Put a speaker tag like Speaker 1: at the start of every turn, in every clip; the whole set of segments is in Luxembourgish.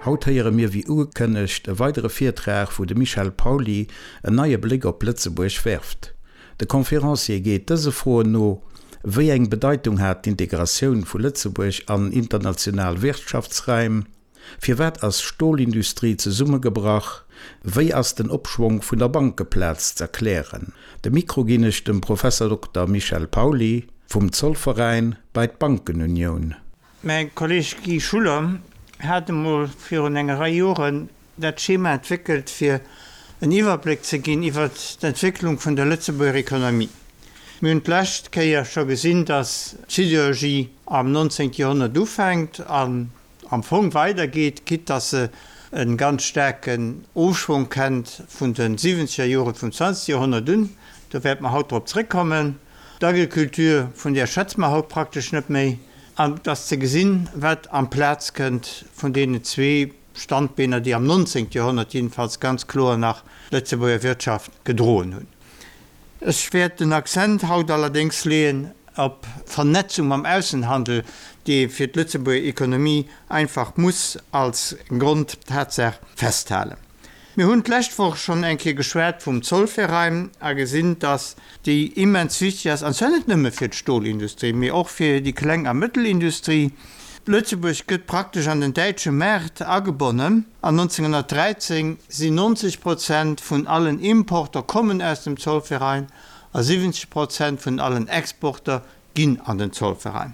Speaker 1: Haut héiere mir wéi ugekënnegt e weidere Virtrag wou de Michel Pauly en neie Bléck op Lëtzebuerg werft. De Conférencier geet dëse Froen no, Wéi eng Bedeitung hat d'Integratioun vu Lëtzebuerg an international Wirtschaftsraim? Firwat ass Stolindustrie zesummegebrach? Wéi ass den Opschwong vun der Bankeplaz z'erklären? De Mikro ginn ech dem Professor Dokter Michel Pauly vum Zollveräin bei d'Bankenunioun.
Speaker 2: Mäi Kolleg Guy Schuller hat emol virun enger Rei Joren dat Schema entwéckelt, fir en Iwwerbléck ze ginn iwwert d'Entwécklung vun der Lëtzebuerger Economie. Mir hunn d'lescht Kéier scho gesinn, dass d'Siderurgie am 19. Joerhonnert ufänkt an am Fong weidergeet, quitte dass se e ganz staarken Ofschwong kennt vun de siwwenzeger Jore vum zwanzegste Joerhonnert un. Do wäerte mer haut drop zréckkommen. D'Agriculture, vun där schwätze mer haut praktesch net méi. An et ass ze gesinn, wat amplaz kënnt vun deenen zwee Standbeener, déi am nonzéngte Joerhonnert jedenfalls ganz kloer nach d'Lëtzebuerger Wirtschaft gedroen hunn. Ech wäert den Accent haut allerdéngs leeën op d'Vernetzung mam Aussenhandel, déi ee fir d'Lëtzebuerger Economie einfach muss als Grondtatsaach festhalen. Mir hunn d'lescht Woch schonn eng Kéier geschwat vum Zollverein a gesinn, dass déi immens wichteg ass, an zwar net nëmme fir d'Stolindustrie, mee och fir déi Kleng a Mëttelindustrie. Lëtzebuerg gëtt praktesch an den däitsche Maart agebonnen. An 1913 sinn 90 Prozent vun allen Importer kommen aus dem Zollverein a 70 Prozent vun allen Exporter ginn an den Zollverein.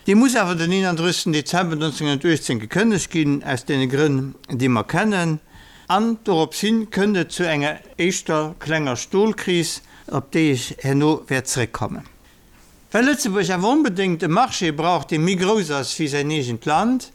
Speaker 2: Dee muss awer den 31 Dezember 1918 gekënnegt ginn, aus deene Grënn, déi mer kennen. An dorops hin kënnt et zu enger éischter klenger Stolkris, op déi ech herno wäert zréckkommen. Well Lëtzebuerg awer onbedéngt e Marché brauch, dee méi grouss ass wéi säin eegent Land,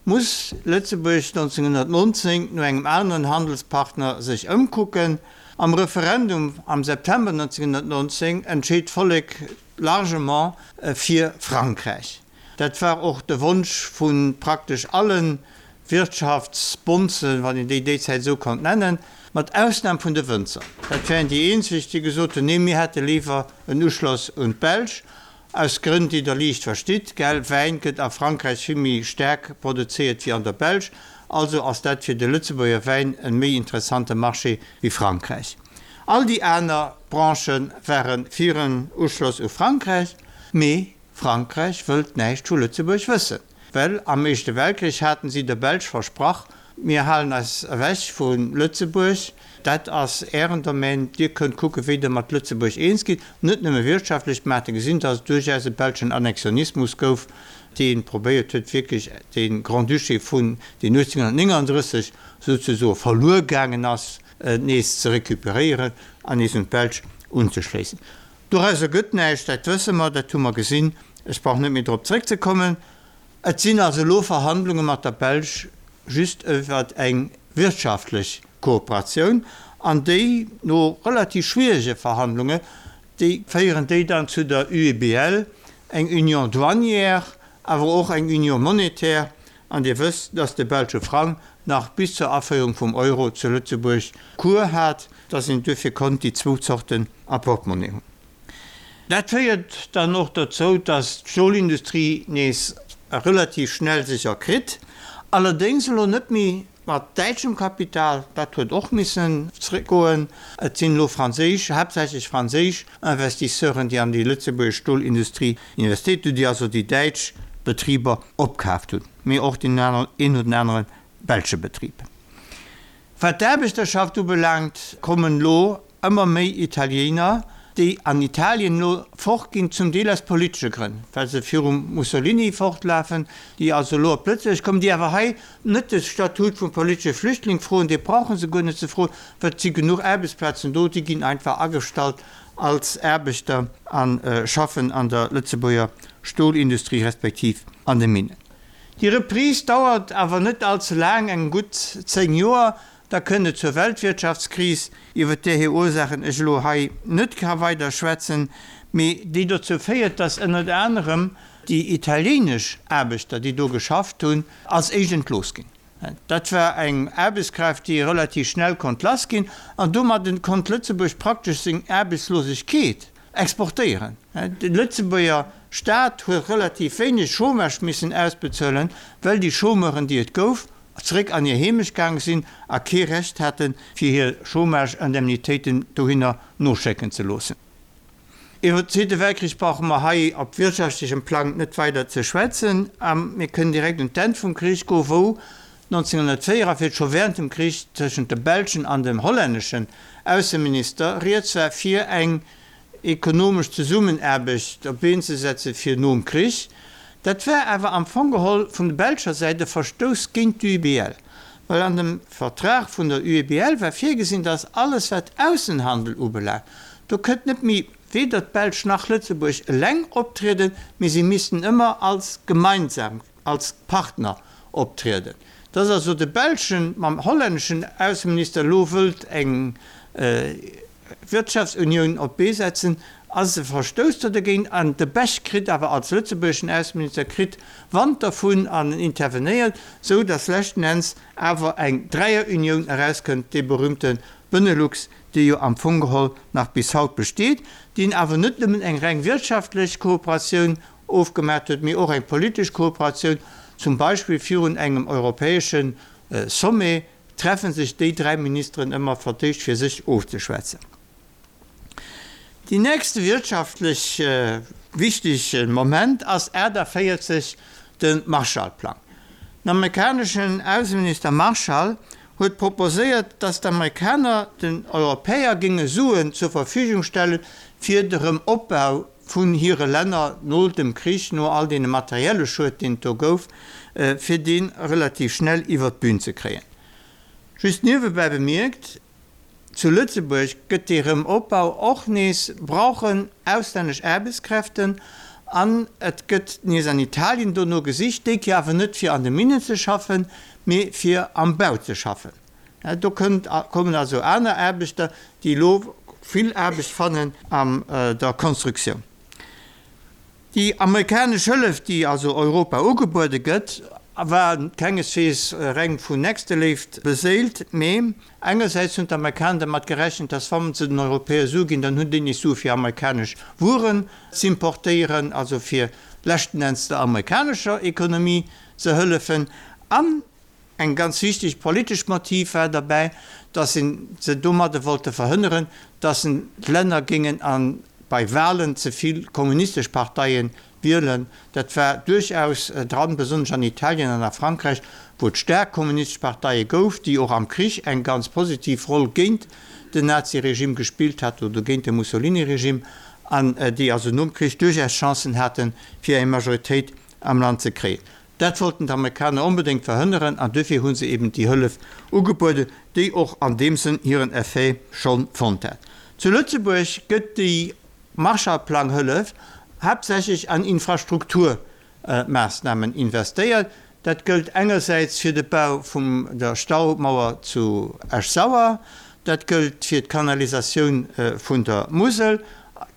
Speaker 2: muss Lëtzebuerg 1919 no engem aneren Handelspartner sech ëmkucken. Am Referendum am September 1919 entscheet d'Vollek largement fir Frankräich. Dat war och de Wonsch vu praktesch alle Wirtschaftsbonzen, wann een déi déizäit esou konnt nennen, mat Ausnam vun de Wënzer. Dat wären déi eenzeg, déi gesot hunn, nee, mir hätte léiwer en Uschloss un d'Belsch, aus Grënn, déi Der liicht verstitt, gell, Wäin gëtt a Frankräich vill méi staark produzéiert wéi an der Belsch, also ass dat fir de Lëtzebuerger Wäin e méi interessante Marché wéi Frankräich. All déi aner Branchë ware fir en Uschloss u Frankräich, mee Frankräich wëllt näischt vu Lëtzebuerg wëssen, well am Éischte Weltkrich haten si der Belsch versprach, mir halen eis ewech vu Lëtzebuerg, dat ass ären Domaine, dir kënnt kucken, wéi der mat Lëtzebuerg eens gitt, net nëmme wirtschaftlech. Mer hate gesinn, datt et duerchaus e belschen Annexionismus gouf, dee probéiert huet, wierklech de Grand-Duché vun, deen 1839 souzesoe verluer gaangen ass, nees ze recuperéieren an nees un d'Belsch unzeschléissen. Dorauser gëtt näischt, dat wësse mer, dat hu mer gesinn. Ech brauch net méi drop zréckzekommen. Et sinn also elo Verhandlunge mat der Belsch just iwwer eng wirtschaftlech Kooperatioun, an déi, no relativ schwierege Verhandlunge, déi féieren déi dann zu der UEBL, eng Union douanière, awer och eng Union monétaire. An Dir wësst, dass de belsche Frang nach bis zur Aféierung vum Euro zu Lëtzebuerg Cours hat, dass een duerfir konnt déi zwou Zorten a Portmonnaie hunn. Dat féiert dann och dozou, dass d'Stolindustrie nees relativ schnell sech erkritt, allerdéngs elo net méi mat däitschem Kapital, dat huet och missen zréckgoen. Et sinn elo franséisch, haaptsächlech franséisch Investisseuren, déi an déi lëtzebuergesch Stolindustrie investéiert hunn, déi also déi däitsch Betriber opkaaft hunn, mee och deen een oder anere belsche Betrib. Wat d'Aarbechterschaft ubelaangt, kommen elo ëmmer méi Italiener, déi an Italien elo fortginn, zum Deel aus politesche Grënn, well se virum Mussolini fortlafen, déi also elo op Lëtzebuerg kommen, déi awer hei net de Statut vum politesche Flüchtling froen, dee brauche se guer net ze froen, well et si genuch Aarbechtsplazen do, déi ginn einfach agestallt als Aarbechter a schaffen an der Lëtzebuerger Stolindustrie respektiv an de Minnen. Déi Reprise dauert awer net all ze laang, eng gutt 10 Joer, da kënnt et zur Weltwirtschaftskris, iwwer där hir Ursaachen ech elo hei net ka weider schwätzen, mee déi dozou féiert, datt ënnert anerem déi italienesch Aarbechter, déi do geschafft hunn, als éischt entlooss ginn. Dat war eng Aarbechtskraaft, déi relativ schnell konnt lass ginn, an domadden konnt Lëtzebuerg praktesch seng Aarbechtslosegkeet exportéieren. De Lëtzebuerger Staat huet relativ wéineg Chômage missen ausbezuelen, well déi Chômeuren, déi et gouf, zeréck an hir Heemecht gaange sinn a kee Recht haten, fir hir Chômage-Indemnitéiten dohinner noschécken ze loossen. Iwwer den Zweete Weltkrich brauche mer hei op wirtschaftlechem Plang net weider ze schwätzen a mir kënnen direkt un d'Enn vum Krich goen, wou 1944 scho während dem Krich tëschent dem belschen an dem hollänneschen Ausseminister rieds war fir eng ekonomesch Zesummenaarbecht op d'Been ze setze fir nom Krich. Dat war awer am Fong geholl vun der belscher Säit e Verstouss géint d'UEBL, well an dem Vertrag vun der UEBL war virgesinn, datt alles wat Aussenhandel ubelaangt, do kënnt net méi weder d'Belsch nach Lëtzebuerg eleng optrieden, mee si missten ëmmer als gemeinsam, als Partner optrieden. Datt also de belschen mam hollänneschen Ausseminister elo wëllt eng Wirtschaftsunioun op d'Bee setzen, ass e Verstouss do dergéint. An de Bech kritt awer als lëtzebuergeschen Ausseminister kritt Wand dervun an intervenéiert, sou datt leschten Enns awer eng Dräierunioun erauskënnt, dee berühmte Benelux, dee jo am Fong geholl nach bis haut besteet, deen awer net nëmmen eng reng wirtschaftlech Kooperatioun ofgemaat huet, mee och eng politesch Kooperatioun, zum Beispill virun engem europäesche Sommet treffe sech déi 3 Ministeren ëmmer fir d'éischt fir sech ofzeschwätzen. Déi nächste wirtschaftlech wichtege Moment ass 48, de Marshall-Plang. Den amerikaneschen Ausseminister Marshall huet proposéiert, datt d'Amerikaner den Europäer géinge Suen zur Verfügung stelle fir de Rëmopbau vun hire Länner no dem Krich, no all deene materielle Schued, deen et do gouf, fir dee relativ schnell iwwert d'Bün ze kréien. Just niewebäi bemierkt, Zu Lëtzebuerg gëtt dee Rëmopbau och nees brauchen auslännesch Aarbechtskräften an et gëtt nees an Italien dono gesicht, déi Kéier awer net fir an de Minnen ze schaffen, mee fir am Bau ze schaffen. Do kënnt, kommen also aner Aarbechter, déi elo vill Aarbecht fannen an der Konstruktioun. Déi amerikanesch Hëllef, déi also Europa ugebuede gëtt, war kengeswees reng vun Nächsteléift beséilt, mee engersäits hunn d'Amerikaner dermat gerechent, dass wa se den Europäer Sue ginn, dann hunn déi nees Sue fir amerikanesch Wueren z'importéieren, also fir leschten Enns der amerikanescher Ekonomie ze hëllefen. An Eng ganz wichteg politesch Motiv war derbäi, datt se domadde wollte verhënneren, datt d'Länner géingen a bei Walen ze vill kommunistesch Parteie wielen. Dat war duerchaus dran, besonnesch an Italien an a Frankräich, wou et staark kommunistesch Parteie gouf, déi och am Krich eng ganz positiv Roll géint den Naziregime gespillt haten oder géint de Mussolini-Regime an déi also nom Krich duerchaus Chancen haten, fir eng Majoritéit am Land ze kréien. Dat wollten d'Amerikaner onbedéngt verhënneren an duerfir hu se eben déi Hëllef ugebueden, déi och an deem Sënn hiren Effet scho fonnt hat. Zu Lëtzebuerg gëtt déi Marshallplang-Hëllef haaptsächlech an Infrastrukturmaassnamen investéiert. Dat gëllt engersäits fir de Bau vum der Staumauer zu Esch-Sauer, dat gëllt fir d'Kanalisatioun vun der Musel,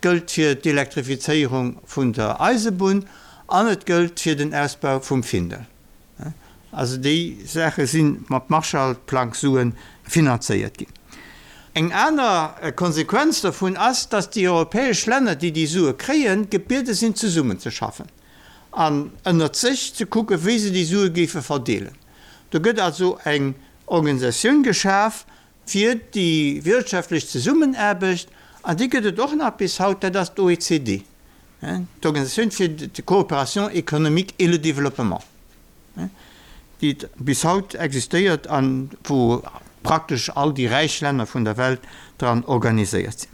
Speaker 2: gëllt fir d'Elektrifizéierung vun der Eisebunn An et gëllt fir den Ausbau vum Findel. Also déi Saache si mat Marshallplang-Sue finanzéiert ginn. Eng aner Konsequenz dovun ass, datt déi europäesch Länner, déi déi Sue kréien, gebiede sinn zesummenzeschaffen an ënnert sech ze kucken, wéi se déi Sue géife verdeelen. Do gëtt also eng Organisatioun geschaf, fir déi wirtschaftlech Zesummenaarbecht, an déi gëtt et och nach bis haut, dat ass d'OECD, d'Organisatioun fir d'Coopération économique et le développement, déi bis haut existéiert a wou praktesch all déi räich Länner vun der Welt dran organiséiert sinn.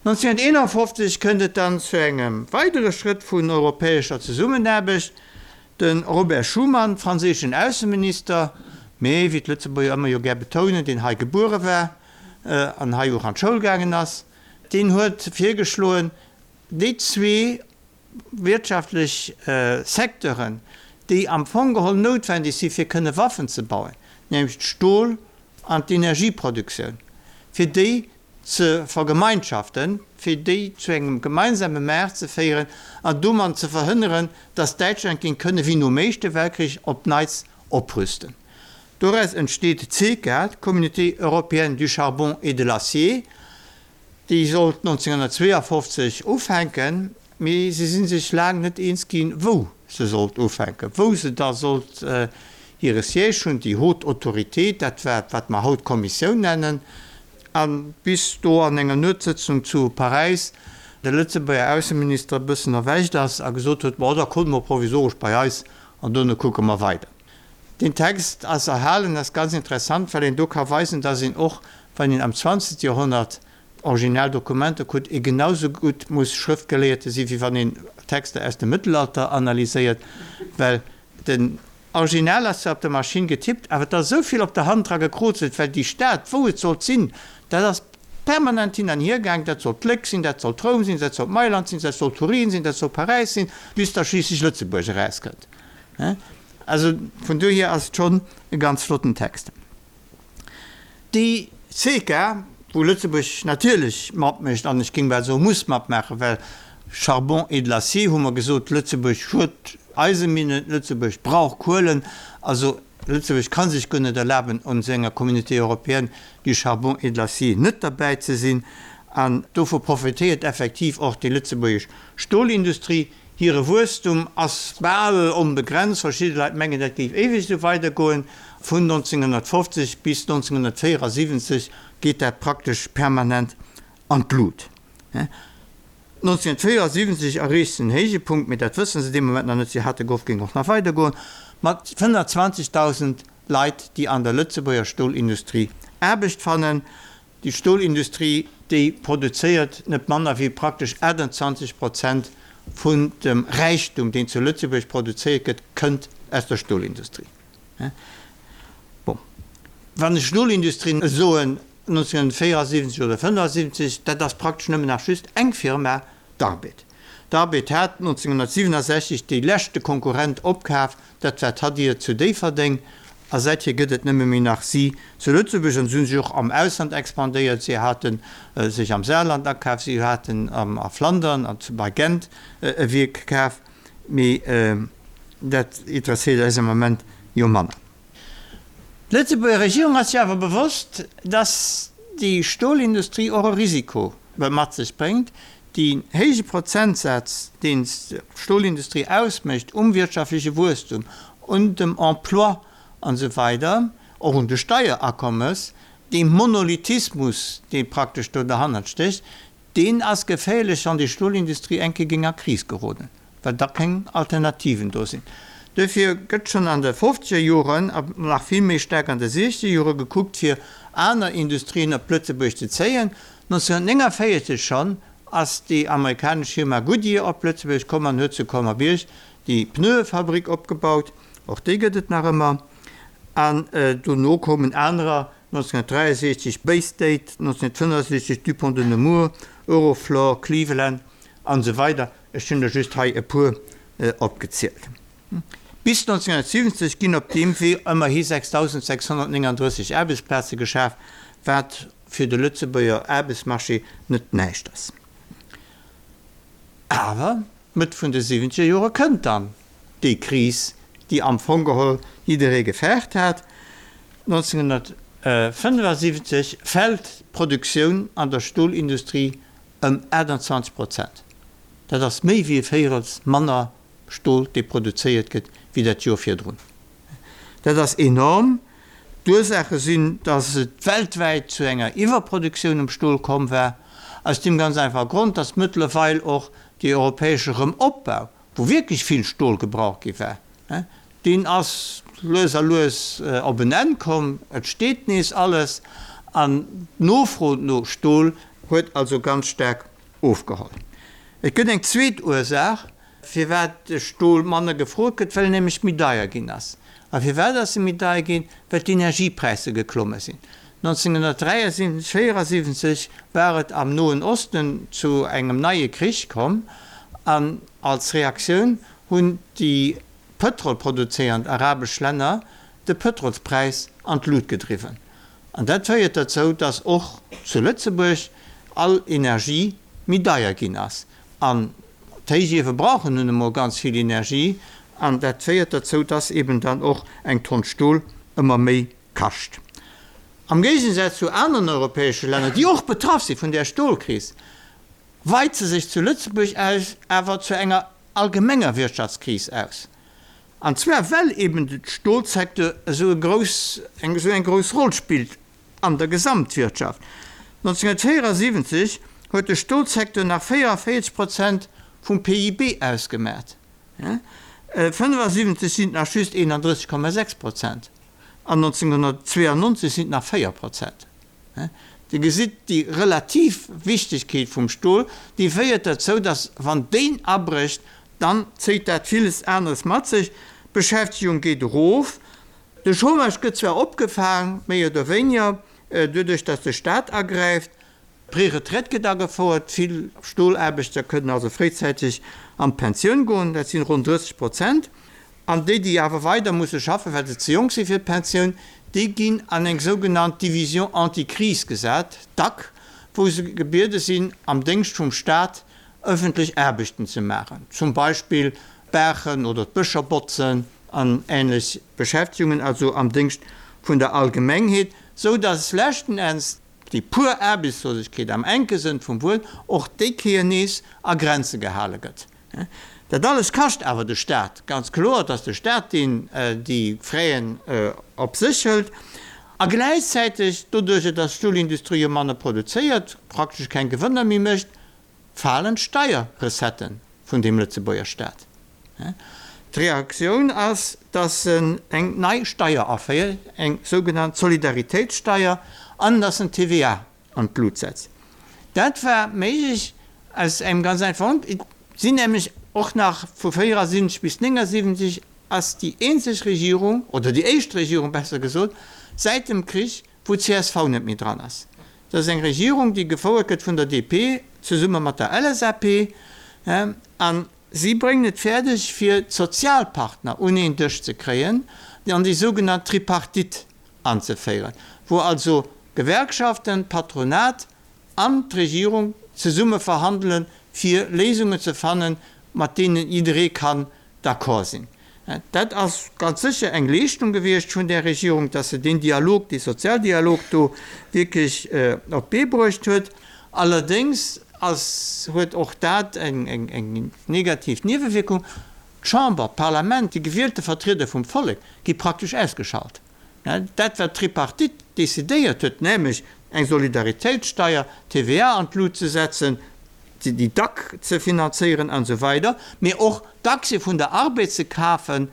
Speaker 2: 1951 kënnt et dann zu engem weidere Schrëtt vun europäescher Zesummenaarbecht, De Robert Schuman, franséischen Ausseminister, mee wéi d'Lëtzebuerger ëmmer jo gär betounen, deen hei gebuere war an hei och an d'Schoul gaangen ass, deen huet virgeschloen, déi zwee wirtschaftlech Secteuren, déi am Fong geholl noutwendeg si fir kënne Waffen ze bauen, nämlech d'Stol an d'Energieproduktioun, fir déi ze vergemeinschaften, fir déi zu engem gemeinsame Maart ze féieren an domat ze verhënneren, datt Däitschland géing kënne wéi nom Éischte Weltkrich op Neits oprüsten. Doraus entsteet d'CECA, d'Communauté européenne du charbon et de l'acier. Déi sollt 1952 ufänken, mee se si sech laang net eens ginn, wou se sollt ufänken, wou se da sollt. hire Siège hunn, déi Haute Autorité, dat war, wat mer haut Kommissioun nennen, a bis do an enger Nuetssëtzung zu Paräis de Lëtzebuerger Ausseminister e bëssen erwächt ass a gesot huet, Bon, da kommt mol provisoresch bei eis an dono kucke mer weider. Deen Text ass erhalen, ass ganz interessant, well een do ka weisen, dass een och, wann een am zwanzegste Joerhonnert original Dokumenter kuckt, ee genau sou gutt muss Schrëftgeleeëte si wéi wann een Texter aus dem Mëttelalter analyséiert, well den Original ass zwar op der Maschinn getippt, awer et ass esou vill op der Hand dra gekrozelt, well déi Stad, wou et sollt sinn, dat ass permanent hin an hier gaang, dat sollt Léck sinn, dat sollt Roum sinn, dat sollt Mailand sinn, dat sollt Turin sinn, dat sollt Paräis sinn, bis da schliisslech Lëtzebuerg erauskënnt. Also vun dohier ass et schonn e ganz flotten Text. Déi CECA, wou Lëtzebuerg natierlech matmécht, an ech géing bal soe muss matmaachen, well Charbon et de l'acier hu mer gesot, Lëtzebuerg huet Eiseminnen, Lëtzebuerg brauch Kuelen, also Lëtzebuerg ka sech guer net erlaben, un esou enger Communauté européenne du charbon et de l'acier net derbäi ze sinn. An dovu profitéiert effektiv och déi lëtzebuergesch Stolindustrie. Hire Wuesstum ass bal onbegrenzt, verschidde Leit mengen, dat géif éiweg esou weidergoen. Vun 1950 bis 1974 geet dat praktesch permanent an d'Lut. 1974 erreecht se en Héijepunkt, mee dat wësse se dee Moment nach net, si hate gehofft, géing och nach weidergoen, mat 120.000 Leit, déi an der Lëtzebuerger Stolindustrie Aarbecht fannen. Déi Stolindustrie, déi produzéiert net manner wéi praktesch 28 Prozent vun dem Räichtum, deen zu Lëtzebuerg produzéiert gëtt, kënnt aus der Stolindustrie. Bon, wann ech Stolindustrie soen, 1974 oder 75, dat ass praktesch nëmmen nach just eng Firma, d'Arbed. D'Arbed hat 1967 dee leschte Konkurrent opkaf, Dat war d'Hadir zu Déifferdeng a säithier gëtt et nëmme méi nach si zu Lëtzebuerg. An se hu sech och am Ausland expandéiert, si hate sech am Saarland akaf, si haten a Flandern an bei Gent e Wierk kaf, mee dat interesséiert eis am Ament jo manner. D'Lëtzebuerger Regierung ass sech awer bewosst, datt déi Stolindustrie och e Risiko mat sech bréngt. Deen héije Prozentsaz, deen d'Stolindustrie ausmécht um wirtschaftleche Wuesstum, un dem Emploi an esou weider, och un de Steierakommes, dee Monolithismus, dee praktesch do derhannert stécht, deen ass geféierlech, wann déi Stolindustrie eng Kéier géing a Kris geroden, well da keng Alternativen do sinn. Duerfir gëtt schonn an de fofzeger Joren a nach vill méi staark an de siechzeger Jore gekuckt, fir aner Industrien op Lëtzebuerg ze zéien. 1949 schonn ass déi amerikanesch Firma Goodyear op Lëtzebuerg komm an huet zu Colmer-Bierg déi Pneuefabrik opgebaut. Och déi gëtt et nach ëmmer. An dono koumen anerer, 1963 Bay State, 1965 Dupont de Nemours, Euroflor, Cleveland an esou weider. Ech hunn der just hei e puer opgezielt. Bis 1970 ginn op deem Wee ëmmerhi 6.639 Aarbechtsplaze geschaf, wat fir de Lëtzebuerger Aarbechtsmarché net näischt ass. Awer Mëtt vun de siwwenzeger Jore kënnt dann déi Kris, déi am Fong geholl jidderee gefaart hat. 1975 fält d'Produktioun an der Stolindustrie ëm 28 Prozent. Dat ass méi wéi e Véirels manner Stol, dee produzéiert gëtt, wéi dat Joer virdrun. Dat ass enorm. D'Ursaache sinn, datt et weltwäit zu enger Iwwerproduktioun um Stol komm war, aus deem ganz einfache Grond, datt mëttlerweil och dee europäesche Rëmopbau, wou wierklech vill Stol gebraucht gi war, deen ass lues a lues op en Enn komm. Et steet nees alles an d'Nofro no Stol huet also ganz staark ofgeholl. Et gëtt eng zweet Ursaach, firwat de Stol manner gefrot gëtt, well en nämlech méi deier ginn ass. A firwat ass e méi deier ginn? Well d'Energiepräisser geklomme sinn. 1973, 74 war et am Noen Osten zu engem neie Krich komm an als Reaktioun hunn déi pëtrolproduzéiernd arabesch Länner de Pëtrolspräis an d'Lut gedriwwen. An dat féiert derzou, dass och zu Lëtzebuerg all Energie méi deier ginn ass. An d'Héichiewe brauchen nun emol ganz vill Energie an dat féiert derzou, dass eben dann och eng Tonn Stol ëmmer méi kascht. Am Géigensaz zu aneren europäesche Länner, déi och betraff si vun där Stolkris, weit se sech zu Lëtzebuerg aus awer zu enger allgemenger Wirtschaftskris aus. An zwar well eben de Stolsecteur esou e grouss, eng esou eng grouss Roll spillt an der Gesamtwirtschaft. 1974 huet de Stolsecteur nach 44 Prozent vum PIB ausgemaat. 75 sinn et nach just 31,6 Prozent an 1992 sinn et nach 4 Prozent. Dir gesitt, déi relativ Wichtegkeet vum Stol, déi féiert derzou, datt wann deen abrécht, dann zéit dat villes aneres mat sech. D'Beschäftegung geet erof, de Chômage gëtt zwar opgefaang, méi oder wéiniger, doduerch datt de Staat agräift, D'Preretraite gëtt agefouert, vill Stolaarbechter kënnen also fréizäiteg an d'Pensioun goen, dat sinn ronn 30 Prozent. An déi, déi awer weider musse schaffen, well se ze jonk si fir d'Pensioun, déi ginn an eng sougenannt Division anti-crise gesat, DAC, wou se gebiede sinn, am Déngscht vum Staat ëffentlech Aarbechten ze maachen, zum Beispill d'Baachen oder d'Bëscher botzen an änlech Beschäftegungen, also am Déngscht vun der Allgemengheet, sou datt leschten Enns déi pur Aarbechtslosegkeet am enke Sënn vum Wuert och déi Kéier nees a Grenze gehale gëtt. Dat alles kascht awer de Staat, ganz kloer, et ass de Staat, deen déi Fräen op sech hëlt. A gläichzäiteg, doduerjer datt d'Stolindustrie jo manner produzéiert, praktesch keng Gewënner méi mécht, falen d'Steierrecetten vun deem Lëtzebuerger Staat. D'Reaktioun ass, datt en eng nei Steier aféiert, eng sougenannt Solidaritéitssteier, an datt en d'TVA an d'Lut setzt. Dat war méiglech aus engem ganz einfachen Grond, Et sinn nämlech och nach vu 74 bis 79 ass déi eenzeg Regierung, oder déi éischt Regierung besser gesot, säit dem Krich, wou d'CSV net méi dran ass. Dat ass eng Regierung, déi gefouert gëtt vun der DP zesumme mat der LSAP. An si bréngen et fäerdeg, fir d'Sozialpartner un een Dësch ze kréien an déi sougenannt Tripartite anzeféieren, wou also Gewerkschaften, Patronat an d'Regierung zesumme verhandelen, fir Léisungen ze fannen, mat deenen jidderee kann d'accord sinn. Dat ass ganz sécher eng Leeschtung gewiescht vun där Regierung, dass se deen Dialog, dee Sozialdialog do wierklech op d'Bee bruecht huet. Allerdéngs ass, huet och dat eng negativ Niewewierkung, D'Chamber, d'Parlament, déi gewielte Vertrieder vum Vollek gi praktesch ausgeschalt. Dat, wat d'Tripartite decidéiert huet, nämlech eng Solidaritéitssteier, d'TVA an d'Lut ze setzen, déi dac ze finanzéieren an esou weider, mee och d'Aktie vun der Arbed ze kafen,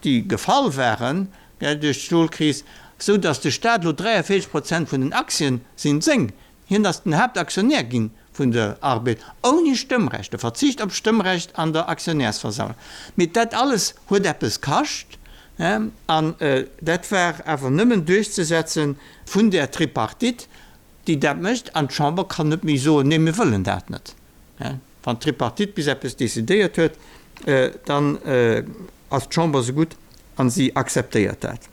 Speaker 2: déi gefall waren duerch d'Stolkris, esou datt de Staat elo 43 Prozent vun den Aktien sinn seng. Hien ass den Haaptaktionär gi vun der Arbed, ouni Stëmmrecht, e Verzicht op d'Stëmmrecht an der Aktionärsversammlung. Mee dat alles huet eppes kascht, an dat war awer nëmmen duerchzesetze vun där Tripartite, déi dat mécht, an d'Chamber kann net méi soen, nee mir wëllen dat net. Wann d'Tripartite bis eppes decidéiert huet, dann ass d'Chamber esou gutt a si akzeptéiert dat.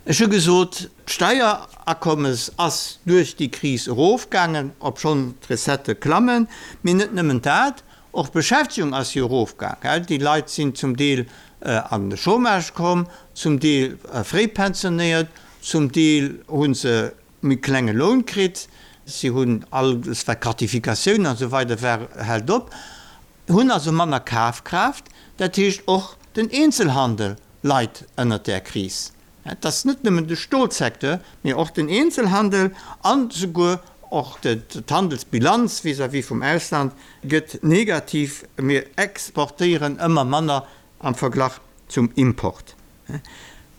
Speaker 2: Ech hu gesot, d'Steierakommes ass duerch déi Kris erofgaangen, obschonn d'Recettë klammen. Mee net nëmmen dat, och d'Beschäftegung ass jo erofgaang. Déi Leit sinn zum Deel an de Chômage komm, zum Deel fréi pensionéiert, zum Deel hu se méi klenge Loun kritt, si hunn alles wat Gratifikatiounen an esou weider war hält op, hunn also manner Kafkraaft. Dat heescht och den Eenzelhandel leit ënnert där Kris. Et ass net nëmmen de Stolsecteur, mee och den Eenzelhandel an souguer och d'Handelsbilanz vis-à-vis vum Ausland gëtt negativ. Mir exportéieren ëmmer manner am Verglach zum Import.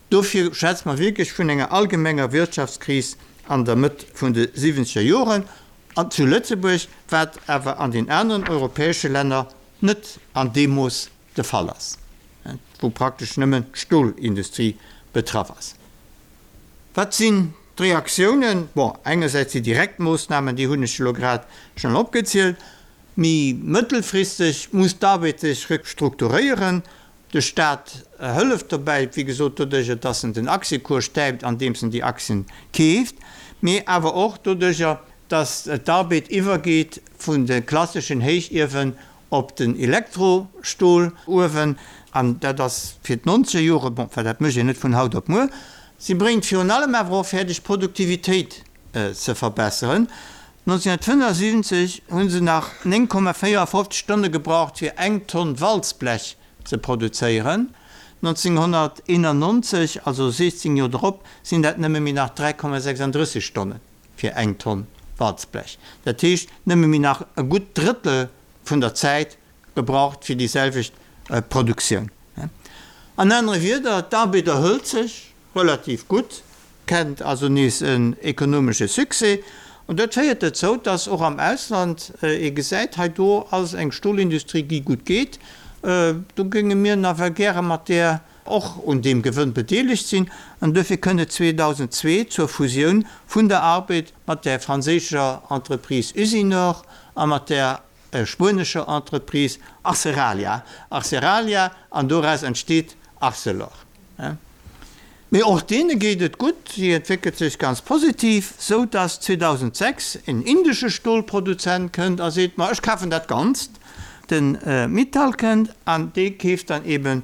Speaker 2: Dofir schwätze mer wierklech vun enger allgemenger Wirtschaftskris an der Mëtt vun de siwwenzeger Joren zu Lëtzebuerg, wat awer an den aneren europäesche Länner net an deem Mooss de Fall ass, wou praktesch nëmmen d'Stolindustrie betraff ass. Wat sinn d'Reaktiounen? Bon, engersäits déi direkt Moossnamen, déi hunn ech elo grad schonn opgezielt. Méi mëttelfristeg muss d'Arbed sech restrukturéieren. De Staat hëlleft dobäi, wéi gesot, doduercher, dass en den Aktiëcours stäipt, andeems en déi Aktien keeft, mee awer och doduercher, dass d'Arbed iwwergeet vun de klasseschen Héichiewen op den Elektrostoluewen. An dat ass fir d'nonzeger Jore, bon, well dat mécht een net vun haut op muer. Si bréngt virun allem awer och fäerdeg, d'Produktivitéit ze verbesseren. 1975 hu se nach 9,54 Stonne gebraucht fir eng Tonn Walzblech ze produzéieren. 1991, also 16 Joer drop, sinn dat nëmme méi nach 3,36 Stonne fir eng Tonn Walzblech. Dat heescht, nëmme méi nach e gutt Drëttel vun der Zäit gebraucht fir déi selwecht Produktioun. An anere Wierder, d'Arbed erhëlt sech relativ gutt, kennt also nees en ekonomesche Succès. An dat féiert dozou, dass och am Ausland ee gesäit, hei do ass eng Stolindustrie, déi gutt geet, do géinge mir nawell gäre mat där och un deem Gewënn bedeelegt sinn. An duerfir kënnt et 2002 zur Fusioun vun der Arbed mat der franséischer Entreprise Usinor a mat der spuenescher Entreprise Aceralia, Aceralia, an doraus entsteet Arcelor. Mee och deene geet et gutt, si entwéckelt sech ganz positiv, sou dass 2006 en indesche Stolproduzent kënnt a seet, ma ech kafen dat Ganzt. De Mittal kënnt an dee keeft dann eben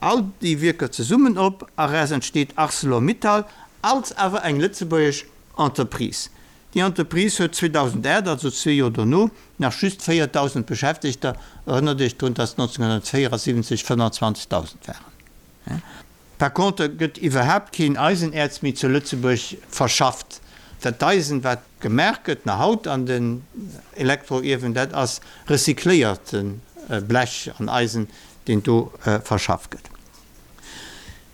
Speaker 2: all déi Wierker zesummen op a raus entsteet Arcelor Mittal, als awer eng lëtzebuergesch Entreprise. Déi Entreprise huet 2008, also zwee Joer dono, nach just 4.000 Beschäftegter, erënnert Iech drun, dass 1974 25.000 waren. Par contre gëtt iwwerhaapt keen Eisenäerz méi zu Lëtzebuerg verschafft. Dat Eisen, wat gemaach gëtt nach haut an den Elektroiewen, dat ass recycléierte Blech an Eisen, deen do verschafft gëtt.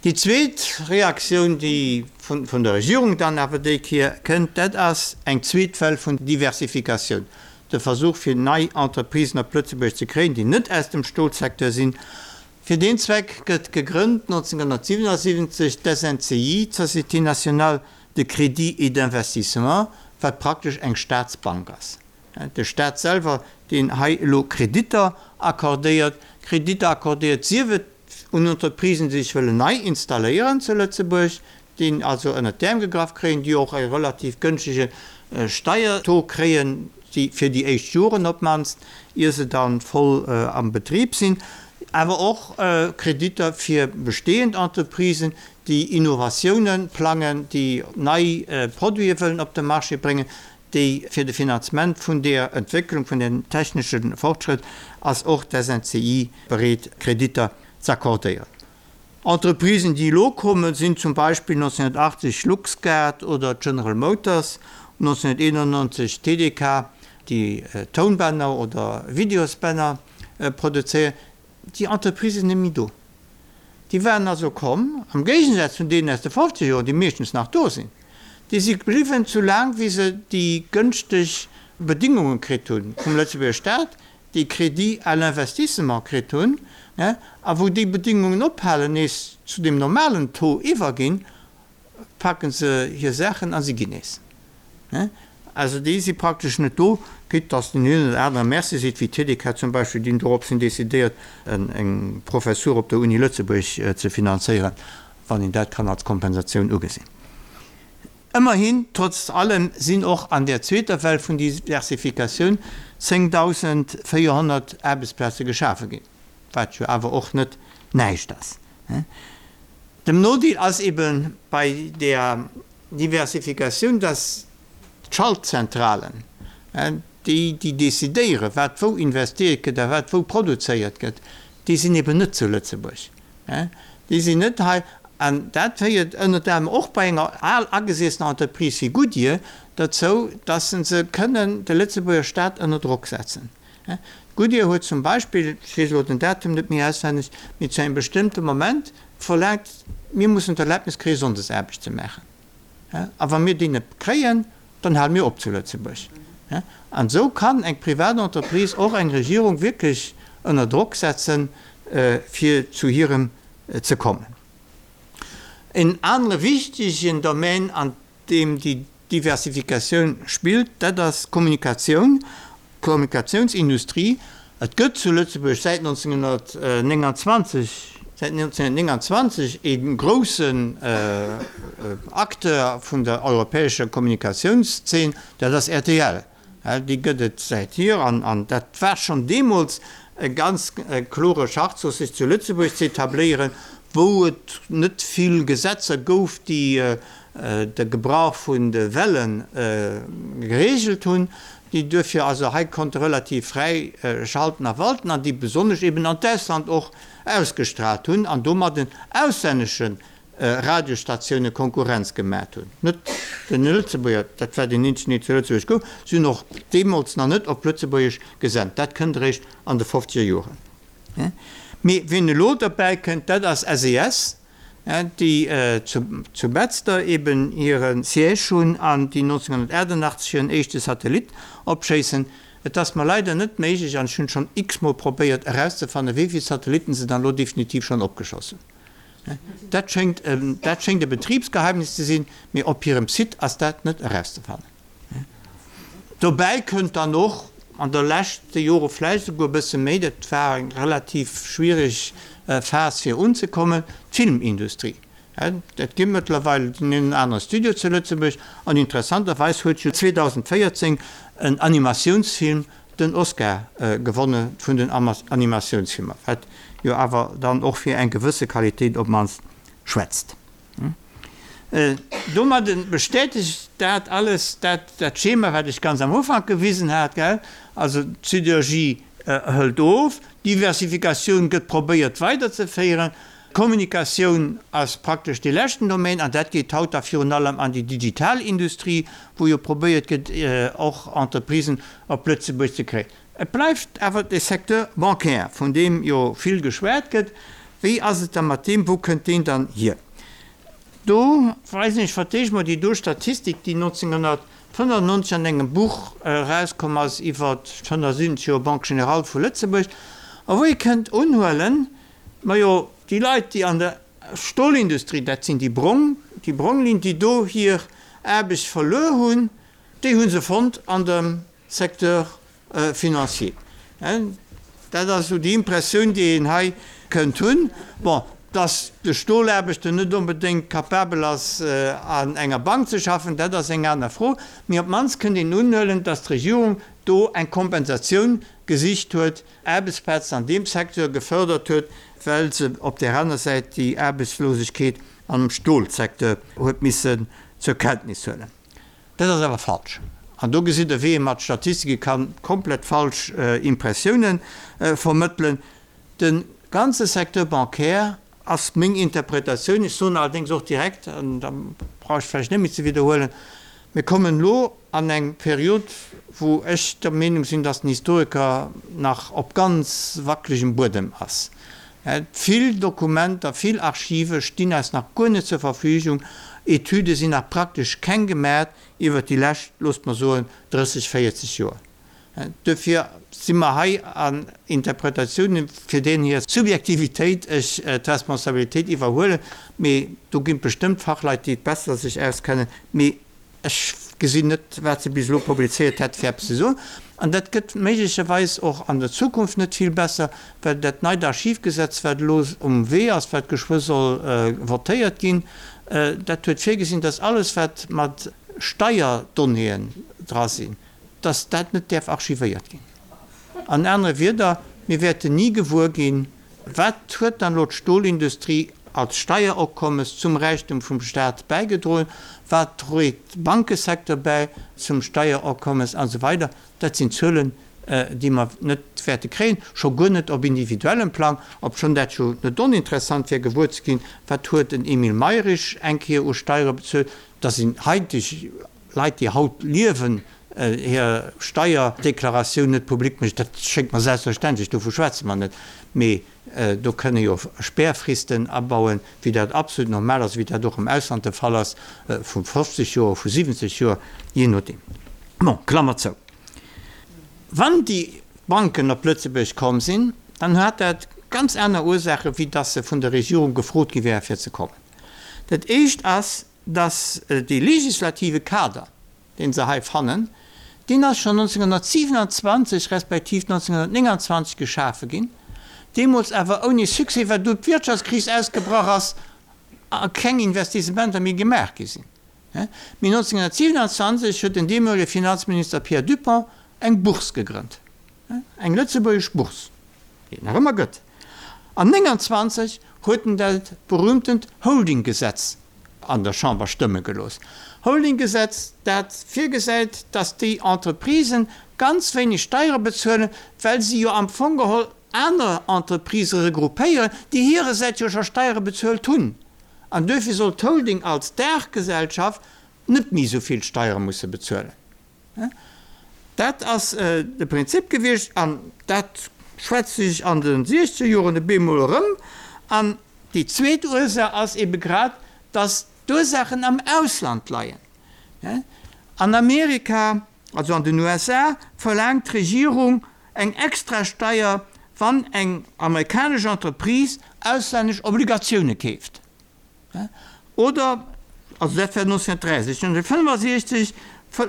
Speaker 2: Déi zweet Reaktioun, déi vun der Regierung dann awer déi Kéier kënnt, dat ass eng zweet Well vun Diversifikatioun, de Versuch fir nei Entreprisen op Lëtzebuerg ze kréien, déi net aus dem Stolsecteur sinn. Fir deen Zweck gëtt gegrënnt 1977 d'SNCI, d'Société nationale de crédit et d'investissement, wat praktesch eng Staatsbank ass. De Staat selwer, deen hei elo Kreditter accordéiert, Kreditter accordéiert, sief et un Entreprisen, déi sech wëllen nei installéieren zu Lëtzebuerg, déi also ënnert d'Äerm gegraff kréien, déi och e relativ gënschtege Steiertaux kréien, fir déi éischt Joren op d'mannst, ier se da voll am Betrib sinn, awer och Kreditter fir bestehend Entreprisen, déi Innovatiounen plangen, déi nei Produite wëllen op de Marché bréngen, déi fir de Finanzement vun deer Entwécklung, vun dem technesche Fortschrëtt ass och d'SNCI bereet Kreditter z'accordéieren. Entreprisen, déi elo kommen, sinn zum Beispill 1980 Luxguard oder General Motors, 1991 TDK, déi Tounbänner oder Videosbänner produzéieren. Déi Entreprisë sinn net méi do. Déi waren also komm, am Géigesaz vun deenen aus de fofzeger Joren, déi meeschtens nach do sinn. Déi si bliwwen, soulaang wéi se déi gënschteg Bedingunge kritt hu vum Lëtzebuerger Staat, déi Crédits à l'investissement kritt hunn, a wou déi Bedingungen ophalen, nees zu deem normalen Taux iwwerginn, paken se hir Saachen a si ginn nees. Also déi si praktesch net do, quitte dass den een oder anere Merci seet, wéi d'Tedeka zum Beispill, déi hunn doropshin decidéiert, eng Professur op der Uni Lëtzebuerg ze finanzéieren, wann een dat kann als Kompensatioun ugesinn. Ëmmerhin, trotz allem sinn och an där zweeter Well vun Diversifikatioun 10.400 Aarbechtsplaze geschafe ginn, wat jo awer och net näischt ass. Dem Nodeel ass ebe bei där Diversifikatioun, dass d'Schaltzentralen, déi déi decidéieren, wat wou investiert gëtt a wat wou produzéiert gëtt, déi sinn eben net zu Lëtzebuerg. Déi sinn net hei. An dat féiert ënnert anerem och bei enger al agesiessener Entreprise wéi Goodyear derzou, dass se kënnen de Lëtzebuerger Staat ënner Drock setzen. Goodyear huet zum Beispill, ech weess elo den Datum net méi auswenneg, mee zu engem bestëmmte Moment verlaangt, mir mussen d'Erlaabnis kréien, Sonndesaarbecht ze maachen. A wa mir déi net kréien, dann hale mir op zu Lëtzebuerg. An esou kann eng privat Entreprise och eng Regierung wierklech ënner Drock setzen, fir zu hirem ze kommen. En anere wichtegen Domän, an deem déi Diversifikatioun spillt, dat ass d'Kommunikatioun, d'Kommunikatiounsindustrie. Et gëtt zu Lëtzebuerg säit 1929, säit 1929 ee groussen Acteur vun der europäescher Kommunikatiounszeen, dat ass rtl. Déi gëtt et säithier an dat war schonn deemools e ganz klore Schachzuch, sech zu Lëtzebuerg ze etabléieren, wou et net vill Gesetzer gouf, déi de Gebrauch vun de Welle gereegelt hunn. déi duerfir also hei konnte relativ fräi schalten a walten an déi besonnesch eben an d'Ausland och ausgestrahlt hunn an domadden auslännesche Radiosstatioune Konkurrenz gemaacht hunn. Net den Lëtzebuerger, dat war deen eenzegen, deen zu Lëtzebuerg gouf, si hunn och deemools nach net op Lëtzebuergesch gesent, dat kënnt eréischt an de fofzeger Joren. Mee wien elo derbäi kënnt, dat ass SES, déi zu Betzder eben hire Siège hunn an déi 1988 hiren éischte Satellit opschéissen. Et ass mer leider net méiglech, an ech hunn et schonn x-mol probéiert, erauszefannen, wéi vill Satellitten se dann elo definitiv schonn opgeschoss hunn. Dat schéngt, dat schéngt e Betribsgeheimnis ze sinn, mee op hirem Site ass dat net erauszefannen. Dobäi kënnt dann och, an de leschte Jore vläicht esouguer e bësse méi, dat war eng relativ schwiereg Phas fir unzekommen, d'Filmindustrie. Et gi mëttlerweil den een oder anere Studio zu Lëtzebuerg an interessanterweis huet jo 2014 en Animatiounsfilm den Oscar gewonne vun den Animatiounsfilmer, wat jo awer dann och fir eng gewësse Qualitéit op d'mannst schwätzt. Domadde bestätegt dat alles dat dat Schema, wat ech ganz am Ufank gewisen hat, gell? Also d'Siderurgie hëlt of, d'Diversifikatioun gëtt probéiert weiderzeféieren, d'Kommunikatioun ass praktesch dee leschten Domaine an dat geet haut da virun allem an déi digital Industrie, wou jo probéiert gëtt och Entreprisen op Lëtzebuerg ze kréien. Et bleift awer de Secteur bancaire, vun deem jo vill geschwat gëtt. Wéi ass et da mat deem? Wou kënnt deen dann hier? Do weisen ech fir d'éischt mol déi do Statistik, déi 1995 an engem Buch erauskomm ass iwwer d'170 Joer Banque Générale vu Lëtzebuerg, a wou ee kënnt unhuelen, majo, déi Leit, déi an der Stolindustrie, dat sinn déi brong, déi brong Linn, déi do hir Aarbecht verluer hunn, déi hu se fonnt an dem Secteur financier. Dat ass esou déi Impressioun, déi een hei kënnt hunn. Bon, dass de Stolaarbechter net onbedéngt capabel ass, an enger Bank ze schaffen, dat ass eng aner Fro. Mee op d'mannst kënnt een unhuelen, dass d'Regierung do eng Kompensatioun gesicht huet, Aarbechtsplazen an deem Secteur gefördert huet, well se op där aner Säit déi Aarbechtslosegkeet am Stolsecteur huet missen zur Kenntnis huelen. Dat ass awer falsch. An do gesitt Der, wéi ee mat Statistike ka komplett falsch Impressioune vermëttelen. De ganze Secteur bancaire ass meng Interpretatioun, ech soen allerdéngs och direkt, an da brauch ech vläicht net méi ze widderhuelen, mir kommen elo an eng Period, wou ech der Meenung sinn, dass den Historiker nach op ganz wackelegem Buedem ass. Vill Dokumenter, vill Archive stinn eis nach guer net zur Verfügung. Etüde sinn nach praktesch keng gemat iwwert déi lescht, loosst mer soen, 30, 40 Joer. Duerfir si mer hei an Interpretatiounen, fir deenen hir Subjektivitéit ech d'Responsabilitéit iwwerhuelen. Mee do ginn et bestëmmt Fachleit, déi et besser sech auskennen. Mee Ech gesinn net, wat se bis elo publizéiert hätt, fir eppes ze soen. An dat gëtt méiglecherweis och an der Zukunft net vill besser, well dat neit Archivgesetz, wat elo um Wee ass, wat geschwë soll votéiert ginn, dat huet virgesinn, dass alles, wat mat Steierdonnéeën dra sinn, dass dat net däerf archivéiert ginn. An anere Wieder, mir wäerten ni gewuer ginn, Wat huet dann elo d'Stolindustrie als Steieropkommes zum Räichtum vum Staat bäigedroen? Wat dréit de Bankesecteur bäi zum Steieropkommes an esou weider? Dat sinn Zuelen, déi mer net wäerte kréien, scho guer net op individuellem Plang, obschonn dat jo net oninteressant wär gewuer ze ginn, wat huet den Emile Mayrisch eng Kéier u Steiere bezuelt. Da sinn haiteg Leit, déi haut liewen, hir Steierdeklaratioun net public mécht, dat schéngt mer selbstverständlech, dovu schwätze mer net, mee do kënne jo Spärfristen abauen, wéi dat absolut normal ass, wéi dat och am Ausland de Fall ass, vu 50 Joer, vu 70 Joer, jee nodeem. Bon, Klammer zou. Wann déi Banken op Lëtzebuerg komm sinn, dann hat dat ganz aner Ursaachen, wéi dass se vun der Regierung gefrot gi wäre fir ze kommen. Dat éischt ass, dass dee legislative Kader, dee se hei fannen, deen ass schonn 1927 respektiv 1929 geschafe ginn, deemools awer ouni Succès, well du d'Wirtschaftskris ausgebrach ass a keng Investissementer méi gemaach gi sinn. Mee 1927 huet den deemolege Finanzminister Pierre Dupong eng Bourse gegrënnt, eng lëtzebuergesch Bourse, déi et nach ëmmer gëtt. An 29 huet en dat berühmtent Holdinggesetz. an der Chamber stëmme gelooss. Holdinggesetz, dat virgesäit, dass déi Entreprisen ganz wéineg Steiere bezuelen, well si jo am Fong geholl aner Entreprisë regroupéieren, déi hirersäits jo scho Steiere bezuelt hunn. An duerfir soll d'Holding als Daachgesellschaft net méi esou vill Steiere musse bezuelen. Dat ass de Prinzip gewiescht an dat schwätzt sech an de siechzeger Joren e bemol erëm. An déi zweet Ursaach ass ebe grad, dass d'Ursaachen am Ausland leien. An Amerika, also an den USA, verlaangt d'Regierung eng Extrasteier, wann eng amerikanesch Entreprise auslännesch Obligatioune keeft. Oder, also dat war 1963, 1965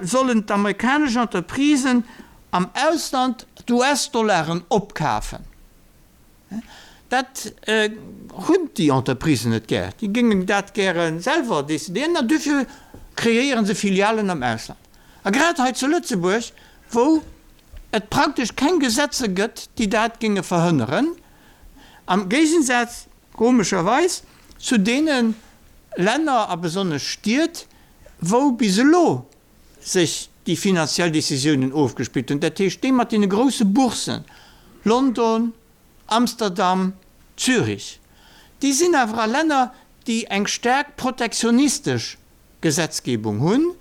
Speaker 2: sollen d'amerikanesch Entreprisen am Ausland d'US-Dollaren opkafen. Dat hunn déi Entreprisen net gär. Déi géingen dat gäre selwer decidéieren an duerfir kreéiere se Filialen am Ausland. A grad hei zu Lëtzebuerg, wou et praktesch keng Gesetze gëtt, déi dat géinge verhënneren, am Géigensaz, komescherweis, zu deene Länner a besonnesch Stied, wou bis elo sech déi finanziell Décisiounen ofgespillt hunn, dat heescht déi mat deene grousse Boursen, London, Amsterdam, Zürich, déi sinn awer a Länner, déi eng staark protektionistesch Gesetzgebung hunn,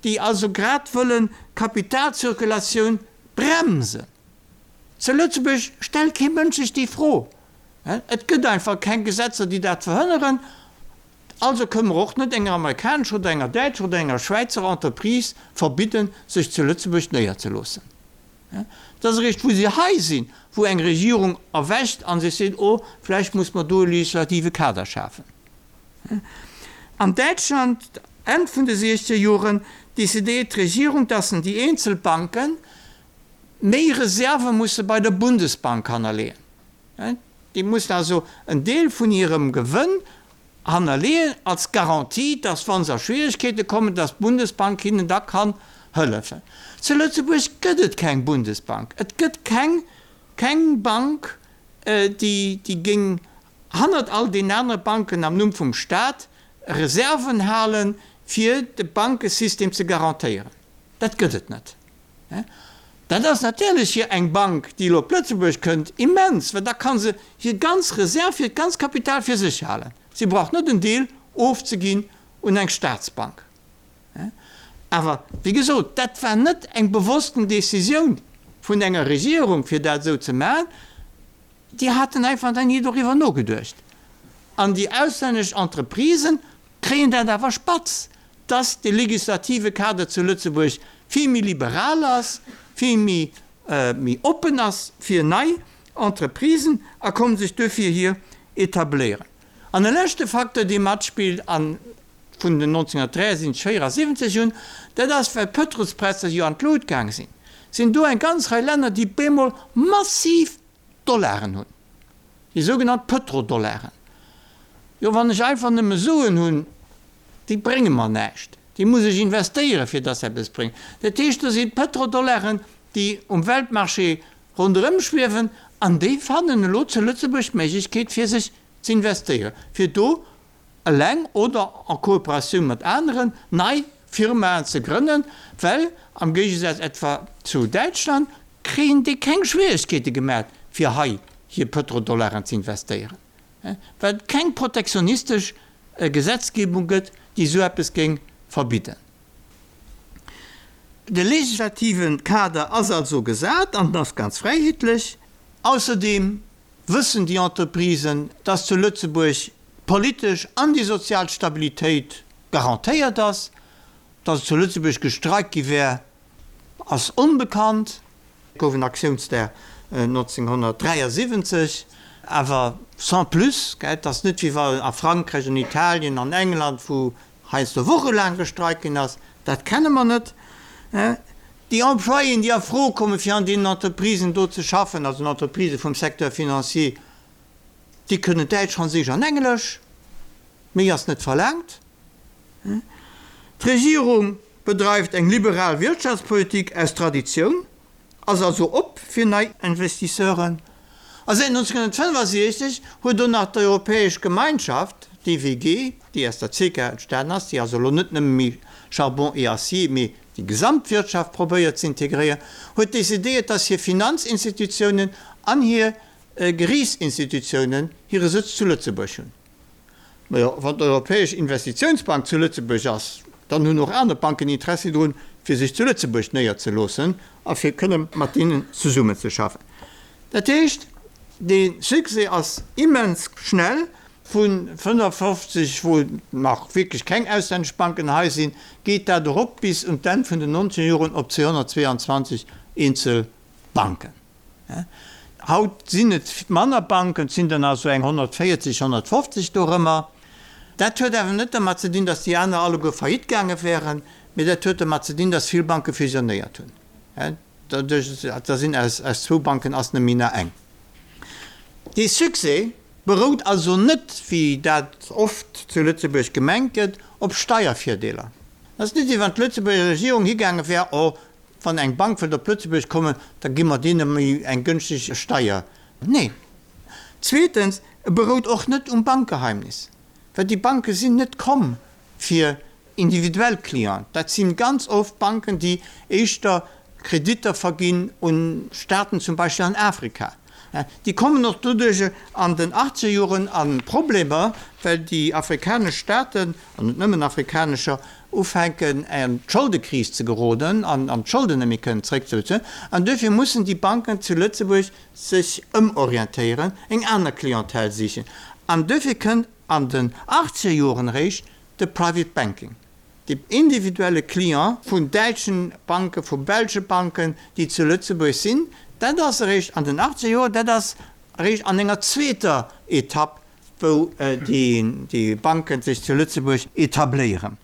Speaker 2: déi also grad wëllen d'Kapitalzirkulatioun bremsen. Zu Lëtzebuerg stellt kee Mënsch sech déi Fro. Et gëtt einfach keng Gesetzer, déi dat verhënneren. Also kënne mer och net enger amerikanescher oder enger däitscher oder enger schwäizer Entreprise verbidden, sech zu Lëtzebuerg néierzeloossen. Et ass eréischt, wou se hei sinn, wou eng Regierung erwächt a sech seet, Oh, vläicht muss mer do e legislative Kader schafen. An Däitschland, Enn vun de siechzeger Joren, decidéiert d'Regierung, dass en déi eenzel Banke méi Reserve musse bei der Bundesbank hannerleeën. Déi mussen also en Deel vun hirem Gewënn hannerleeën als Garantie, dass, wa se a Schwieregkeete kommen, dass d'Bundesbank hinnen da kann hëllefen. Zu Lëtzebuerg gëtt et keng Bundesbank. Et gëtt keng, keng Bank, déi, déi géing hannert all deenen anere Banken am Numm vum Stat Reserven halen, fir de Bankesystem ze garantéieren. Dat gëtt et net. Dat ass natierlech fir eng Bank, déi elo op Lëtzebuerg kënnt, immens, well da ka se hir ganz Reserv, hiert ganz Kapital fir sech halen. Si brauch net en Deel ofzeginn un eng Staatsbank. Awer, wéi gesot, dat war net eng bewossten Décisioun vun enger Regierung, fir dat esou ze maachen. Déi haten einfach nach ni doriwwer nogeduecht. An déi auslännesch Entreprisen kréien dat awer spatz, dass de legislative Kader zu Lëtzebuerg vill méi liberal ass, vill méi méi oppen ass fir nei Entreprisen a kommen sech duerfir hier etabléieren. An e leschte Facteur, dee matspillt a vun den 1973, 74 un, dat ass, well d'Pëtrolspräisser jo an d'Lut gaang sinn, sinn do eng ganz Rei Länner, déi bemol massiv Dollaren hunn, déi sougenannt Pëtrodollaren. Jo, wann ech einfach nëmme Suen hunn, déi brénge mer näischt. Déi muss ech investéieren, fir dass se eppes bréngen. Dat heescht, do si Pëtrodollaren, déi um Weltmarché ronderëm schwiewen an déi fannen elo zu Lëtzebuerg d'Méiglechkeet, fir sech z'investéieren, fir do eleng oder en Kooperatioun mat aneren, nei Firmaen ze grënnen, well am Géigesaz etwa zu Däitschland kréien déi keng Schwieregkeete gemat, fir hei hir Pëtrodollaren ze investéieren, well et keng protektionistesch Gesetzgebung gëtt, déi esou eppes géing verbidden. De legislative Kader ass also gesat an en ass ganz fräiheetlech. Ausserdeem wëssen déi Entreprisen, dass zu Lëtzebuerg d'politesch an déi sozial Stabilitéit garantéiert ass. Dass et zu Lëtzebuerg gestreikt gi wär, ass onbekannt. Et gouf en Aktiounsdag 1973, awer sans plus. Et ass net wéi wa a Frankräich, an Italien, an England, wou heiansdo wochelaang gestreikt ginn ass. Dat kenne mer net. Déi Employéen, déi a Fro kommen, fir an deenen Entreprisen do ze schaffen, also den Entreprisë vum Secteur financier, déi kënnen Däitsch, Franséisch an Englesch. Méi ass net verlaangt. D'Regierung bedreift eng liberal Wirtschaftspolitik aus Traditioun, ass also op fir nei Investisseuren. A säit 1965 huet och nach d'Europäesch Gemeinschaft. d'EWG, déi aus der CECA entstanen ass, déi also elo net nëmme méi Charbon et Acier, mee déi Gesamtwirtschaft probéiert ze integréieren, huet decidéiert, dass hir Finanzinstitutiounen an hir Geriichtsinstitutiounen hire Sëtz zu Lëtzebuerg hunn. Majo, wann d'Europäesch Investitiounsbank zu Lëtzebuerg ass, dann hunn och aner Banken Interessi drun, fir sech zu Lëtzebuerg néierzeloossen a fir kënne mat deenen zesummenzeschaffen. Dat heescht, dee Succès ass immens schnell. Vu 55, wou nach wierklech keng auslännesch Banken hei sinn, geet dat erop bis un d'Enn vun den nonzeger Joren op 222 eenzel Banken. Haut sinn et manner Banken, et sinn der nach esou eng 140, 150 dorëmmer. Dat huet awer net dermat ze dinn, datt déi aner alleguer faillite gaange wären, mee dat huet dermat ze dinn, datt vill Banke fusionéiert hunn. Doduerch, da sinn aus zwou Banken ass nëmme méi nach eng. Dee Succès berout also net, wéi dat oft zu Lëtzebuerg gemengt gëtt, op Steiervirdeeler. Et ass net, wéi wann d'Lëtzebuerger Regierung higaange wär, oh, Wann eng Bank wëllt op Lëtzebuerg kommen, da gi mer deene méi eng gënschteg Steier. Nee. Zweetens, e berout och net um Bankgeheimnis, well déi Banke sinn net komm fir individuell Clienten. Dat si ganz oft Banken, déi éischter Kreditter verginn un Staaten, zum Beispill an Afrika. Déi kommen och doduerch an den Achtzegerjoren a Problemer, well déi afrikanesch Staaten, an net nëmmen afrikanescher, ufänken an d'Scholdekris ze geroden an d'Scholden net méi kënnen zréckzebezuelen. An duerfir mussen déi Banken zu Lëtzebuerg sech ëmorientéieren, eng aner Clientèle sichen. An duerfir kënnt an den Achtzegerjoren eréischt de Private Banking. De individuelle Client vun däitschen Banken, vu belsche Banken, déi zu Lëtzebuerg sinn, dat ass eréischt an den achtzeger Joren, dat ass eréischt an enger zweeter Etapp, wou déi Banken sech zu Lëtzebuerg etabléieren.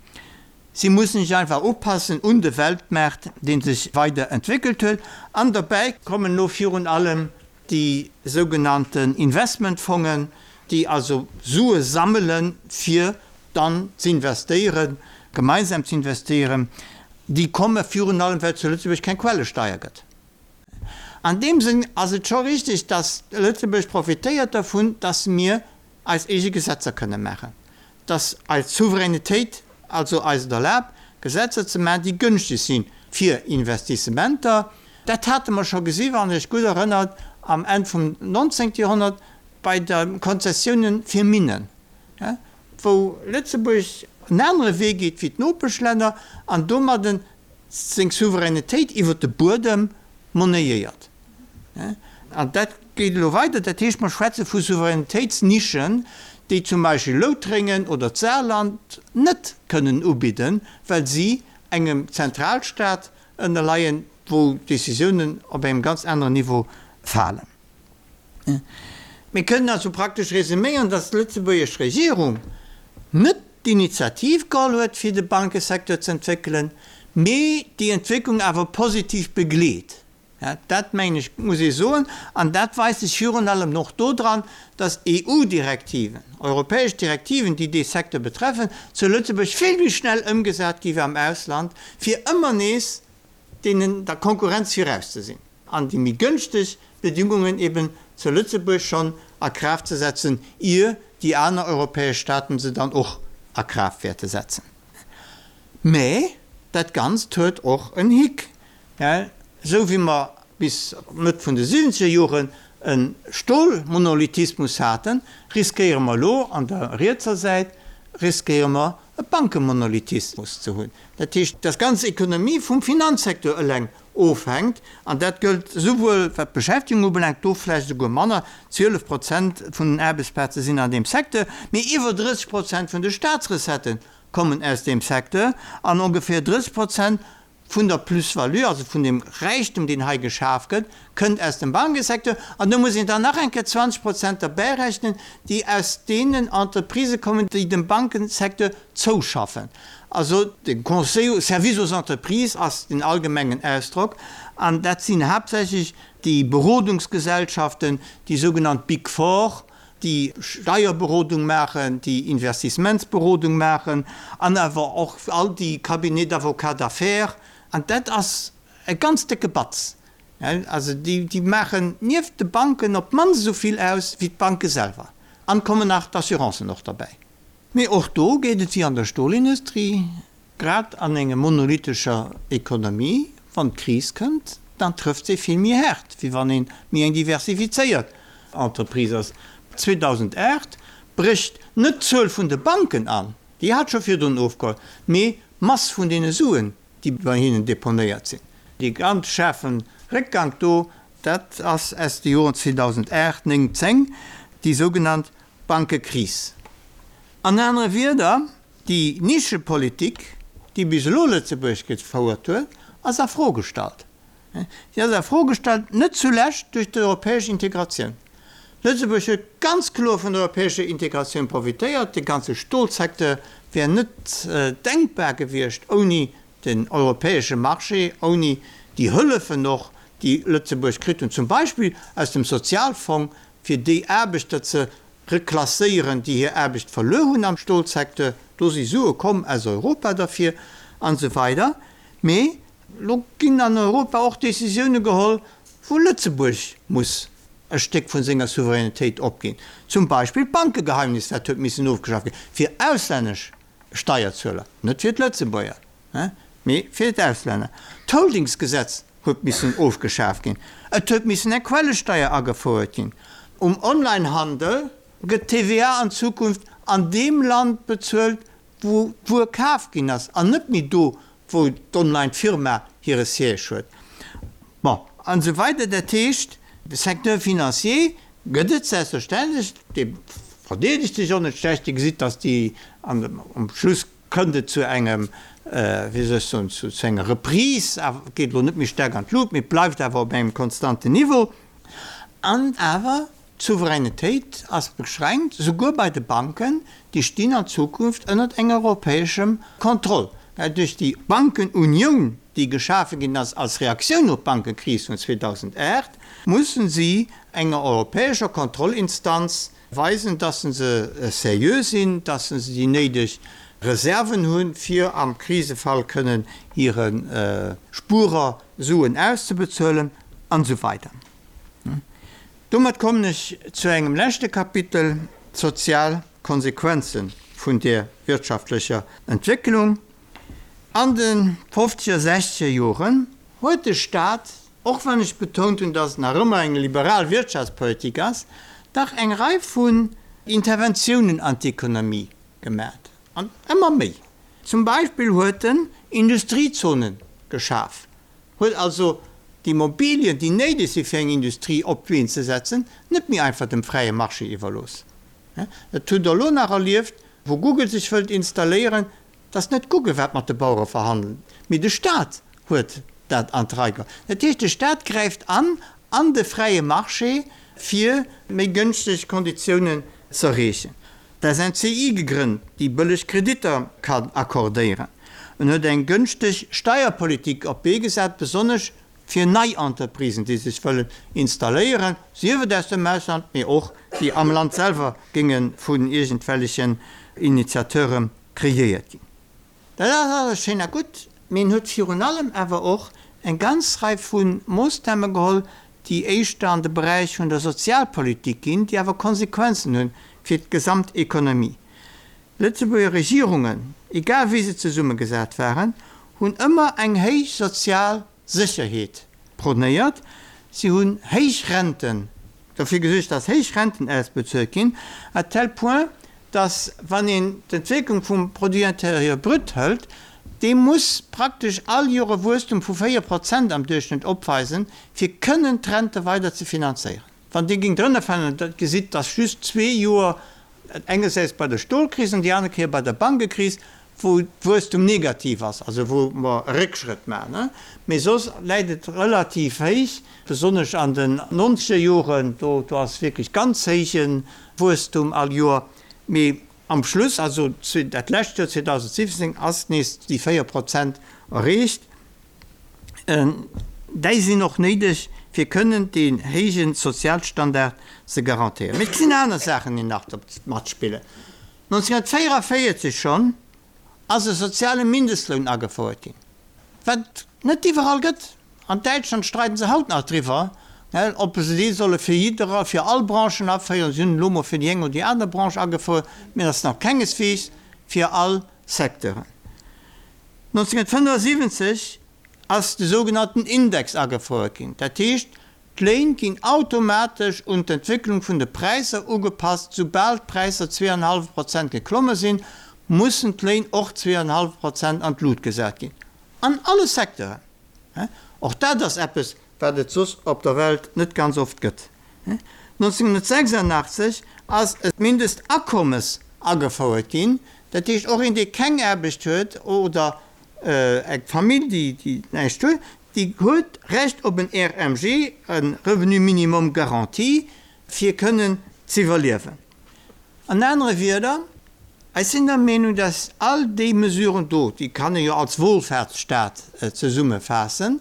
Speaker 2: Si mussen sech einfach upassen un de Weltmaart, dee sech weider entwéckelt huet. An derbäi kommen elo virun allem déi sougenannten Investmentfongen, déi also Sue sammelen, fir dann z'investéieren, gemeinsam z'investéieren, déi komme virun allem, well et zu Lëtzebuerg keng Quellesteier gëtt. An deem Sënn ass et scho richtig, dass Lëtzebuerg profitéiert dervun, dass mir eis eege Gesetzer kënne maachen, dass eis Souveränitéit also eis et erlaabt, Gesetzer ze maachen, déi gënschteg si fir Investissementer. Dat hate mer scho gesi, wann Dir Iech gutt erënnert, am Enn vum 19. Joerhonnert bei de Konzessiounen fir Minnen, wou Lëtzebuerg en anere Wee geet wéi d'Nopeschlänner an domadden seng Souveränitéit iwwert de Buedem monnayéiert. An dat geet elo weider. Dat heescht, mer schwätze vu Souveränitéitsnischen, déi zum Beispill Loutrengen oder d'Saarland net kënnen ubidden, well si engem Zentralstaat ënnerleien, wou d'Décisiounen op engem ganz aneren Niveau falen. Mir kënnen also praktesch resuméieren, dass d'lëtzebuergesch Regierung net d'Initiativ geholl huet, fir de Bankesecteur ze entwéckelen, mee déi Entwécklung awer positiv begleet. Dat, mengen ech, muss ee soen. An dat weist sech virun allem och dodran, dass EU-Direktiven, europäesch Direktiven, déi dee Secteur betreffen, zu Lëtzebuerg vill méi schnell ëmgesat gi wéi am Ausland, fir ëmmer nees deenen der Konkurrenz viraus ze sinn an déi méi gënschteg Bedingungen eben zu Lëtzebuerg schonn a Kraaft ze setzen, ier déi aner europäesch Staaten se dann och a Kraaft wäerte setzen. Mä dat Ganzt huet och en Hick. Esou wéi mer bis Mëtt vun de siwwenzeger Joren e Stolmonolithismus haten, riskéiere mer elo an der rietser Säit riskéiere mer e Bankemonolithismus ze hunn. Dat heescht, dass d'ganz Ekonomie vum Finanzsecteur eleng ofhänkt, an dat gëllt esouwuel wat d'Beschäftegung ubelaangt, do vläicht esouguer manner, 12 Prozent vun den Aarbechtsplaze sinn an deem Secteur, mee iwwer 30 Prozent vun de Staatsrecettë kommen aus deem Secteur an ongeféier 30 Prozent vun der Plus-value, also vun deem Räichtum, deen hei geschaf gëtt, kënnt aus dem Bankesecteur. An do muss een dann nach eng Kéier 20 Prozent derbäirechnen, déi aus deenen Entreprisë kommen, déi dem Bankesecteur zouschaffen. Also de Conseil, Service aux entreprises ass den allgemengen Ausdrock, an dat sinn haaptsächlech déi Berodungsgesellschaften, déi sougenannt Big Four, déi Steierberodung maachen, déi Investissementsberodung maachen an awer och all déi Cabinets d'avocats d'affaires. An dat ass e ganz décke Batz. Also déi maachen nieft de Banken op d'mannst esou vill aus wéi d'Banke selwer. An kommen nach d'Assurancen och derbäi. Mee och do geet et wéi an der Stolindustrie, grad an enger monolithescher Ekonomie, wann d'Kris kënnt, dann trëfft se vill méi haart, wéi wann ee méi eng diversifizéiert Entreprise ass. 2008 brécht net d'Zuel vun de Banken an, déi hat scho virdrun ofgeholl, mee d'Mass vun deene Suen, déi bei hinnen deponéiert sinn. Dee ganz schaarfe Réckgank do, dat ass aus de Joren 2008, 9, 10, déi sougenannt Bankekris. An anere Wierder, déi Nischepolitik, déi bis elo Lëtzebuerg gefouert huet, ass a Fro gestallt. Si ass a Fro gestallt net zulescht duerch d'europäesch Integratioun. Lëtzebuerg huet ganz kloer vun der europäescher Integratioun profitéiert. De ganze Stolsecteur wär net denkbar gewiescht ouni den europäesche Marché, ouni déi Hëllefen och, déi Lëtzebuerg kritt hunn, zum Beispill aus dem Sozialfong, fir déi Aarbechter ze reklasséieren, déi hir Aarbecht verluer hunn am Stolsecteur. Do si Sue komm aus Europa derfir an esou weider. Mee elo ginn an Europa och Décisioune geholl, wou Lëtzebuerg muss e Stéck vu senger Souveränitéit opginn. Zum Beispill d'Bankegeheimnis, dat huet missen ofgeschafft ginn, fir auslännesch Steierzueler, net fir d'Lëtzebuerger, mee fir d'Auslänner. D'Holdingsgesetz huet missen ofgeschaf ginn. Et huet missen eng Quellesteier agefouert ginn. Um Onlinehandel gëtt d'TVA an Zukunft an deem Land bezuelt, wou d'Wuer kaf ginn ass, an net méi do, wou d'Online-Firma hire Siège huet. Bon, an esou weider. Dat heescht, de Secteur financier gëtt et selbstverständlech, dee verdeedegt sech och net schlecht. Dir gesitt, dass déi um Schluss kënnt et zu engem, wéi soll ech soen, zu enger Reprise, awer et geet elo net méi staark an d'Lut, mee et bleift awer op engem konstanten Niveau. An awer, d'Souveränitéit ass beschränkt, souguer bei de Banken, déi stinn an Zukunft ënnert enger europäeschem Kontroll. Duerch déi Bankenunioun, déi geschafe ginn ass als Reaktioun op d'Bankekris vun 2008, mussen si enger europäescher Kontrollinstanz weisen, dass se seriö sinn, dass se déi néideg Reserven hunn, fir am Krisefall kënnen hire Spuerer Suen auszebezuelen an esou weider. Domat kommen ech zu engem leschte Kapitel, d'sozial Konsequenze vun där wirtschaftlecher Entwécklung. An de fofzeger, sechzeger Joren huet de Staat, och wann ech betount hunn, dass et nach ëmmer eng liberal Wirtschaftspolitik ass, dach eng Rei vun Interventiounen an d'Ekonomie gemat, an ëmmer méi. Zum Beispill huet en Industriezonen geschaf, huet also d'Immobilien, déi néideg si fir eng Industrie op d'Been ze setzen, net méi einfach dem fräie Marché iwwerlooss. Dat hutt Der elo nach erlieft, wou Google sech wëllt installéieren, dass net Google wat mat de Bauere verhandelt, mee de Staat huet dat an d'Rei geholl. Dat heescht, de Staat gräift an an de fräie Marché, fir méi gënschteg Konditiounen z'erreechen. D'SNCI gegrënnt, déi bëlleg Kreditter kann accordéieren. En huet eng gënschteg Steierpolitik op d'Bee gesat, besonnesch fir nei Entreprisen, déi sech wëllen installéieren, sief et aus dem Ausland, mee och déi am Land selwer géinge vun iergendwellechen Initiateure kreéiert ginn. Dat ass alles schéin a gutt, mee en huet virun allem awer och eng ganz Rei vu Moossname geholl, déi éischter an de Beräich vun der Sozialpolitik ginn, déi awer Konsequenzen hunn fir d'Gesamtekonomie. Lëtzebuerger Regierungen, egal wéi se zesummegesat waren, hunn ëmmer eng héich sozial Sécherheet prônéiert. Si hunn héich Renten, derfir gesuergt, dass héich Renten ausbezuelt ginn, à tel point, dass, wann een d'Entwécklung vum Produit intérieur brut hëlt, dee muss praktesch all Joer e Wuesstum vu 4 Prozent am Duerchschnëtt opweisen, fir kënnen d'Rente weider ze finanzéieren. Wann dee géing drënner falen, da gesitt, dass just zwee Joer, engersäits bei der Stolkris an déi aner Kéier bei der Bankekris, wou d'Wuesstum negativ ass, also wou mer e Réckschrëtt maachen, mee soss läit et relativ héich, besonnesch an den nonzeger Joren, do do ass wierklech ganz héije Wuesstum all Joer, mee am Schluss, also dat lescht Joer 2017, ass nees déi 4 Prozent erreecht. Déi sinn och néideg, fir kënnen deen héije Sozialstandard ze garantéieren. Mee et sinn aner Saachen, déi nach matspillen. 1944 schonn ass e soziale Mindestloun agefouert ginn, wat et net iwwerall gëtt. An Däitschland streiden se haut nach driwwer. Ob se dee solle fir jidderer, fir all Branchen aféieren, si hunn en elo mol fir déi eng oder déi aner Branche agefouert, mee et ass nach kengesweegs fir all Secteuren. 1975 ass de sougenannten Index agefouert ginn, dat heescht, d'Léin ginn automatesch un d'Entwécklung vun de Präisser ugepasst. Soubal d'Präisser 2,5 Prozent geklomme sinn, mussen d'Léin och 2,5 Prozent an d'Lut gesat ginn, an alle Secteuren. Och dat ass eppes, wat et soss op der Welt net ganz oft gëtt. 1986 ass e Mindestakommes agefouert ginn, dat heescht och een, dee keng Aarbecht huet oder eng Famill, déi näischt huet, déi huet Recht op en RMG, e Revenu minimum garanti, fir kënnen z'iwwerliewen. An anere Wierder, ech sinn der Meenung, dass all déi Mesuren do, déi kann ee jo als Wohlfahrtsstaat zesummefaassen,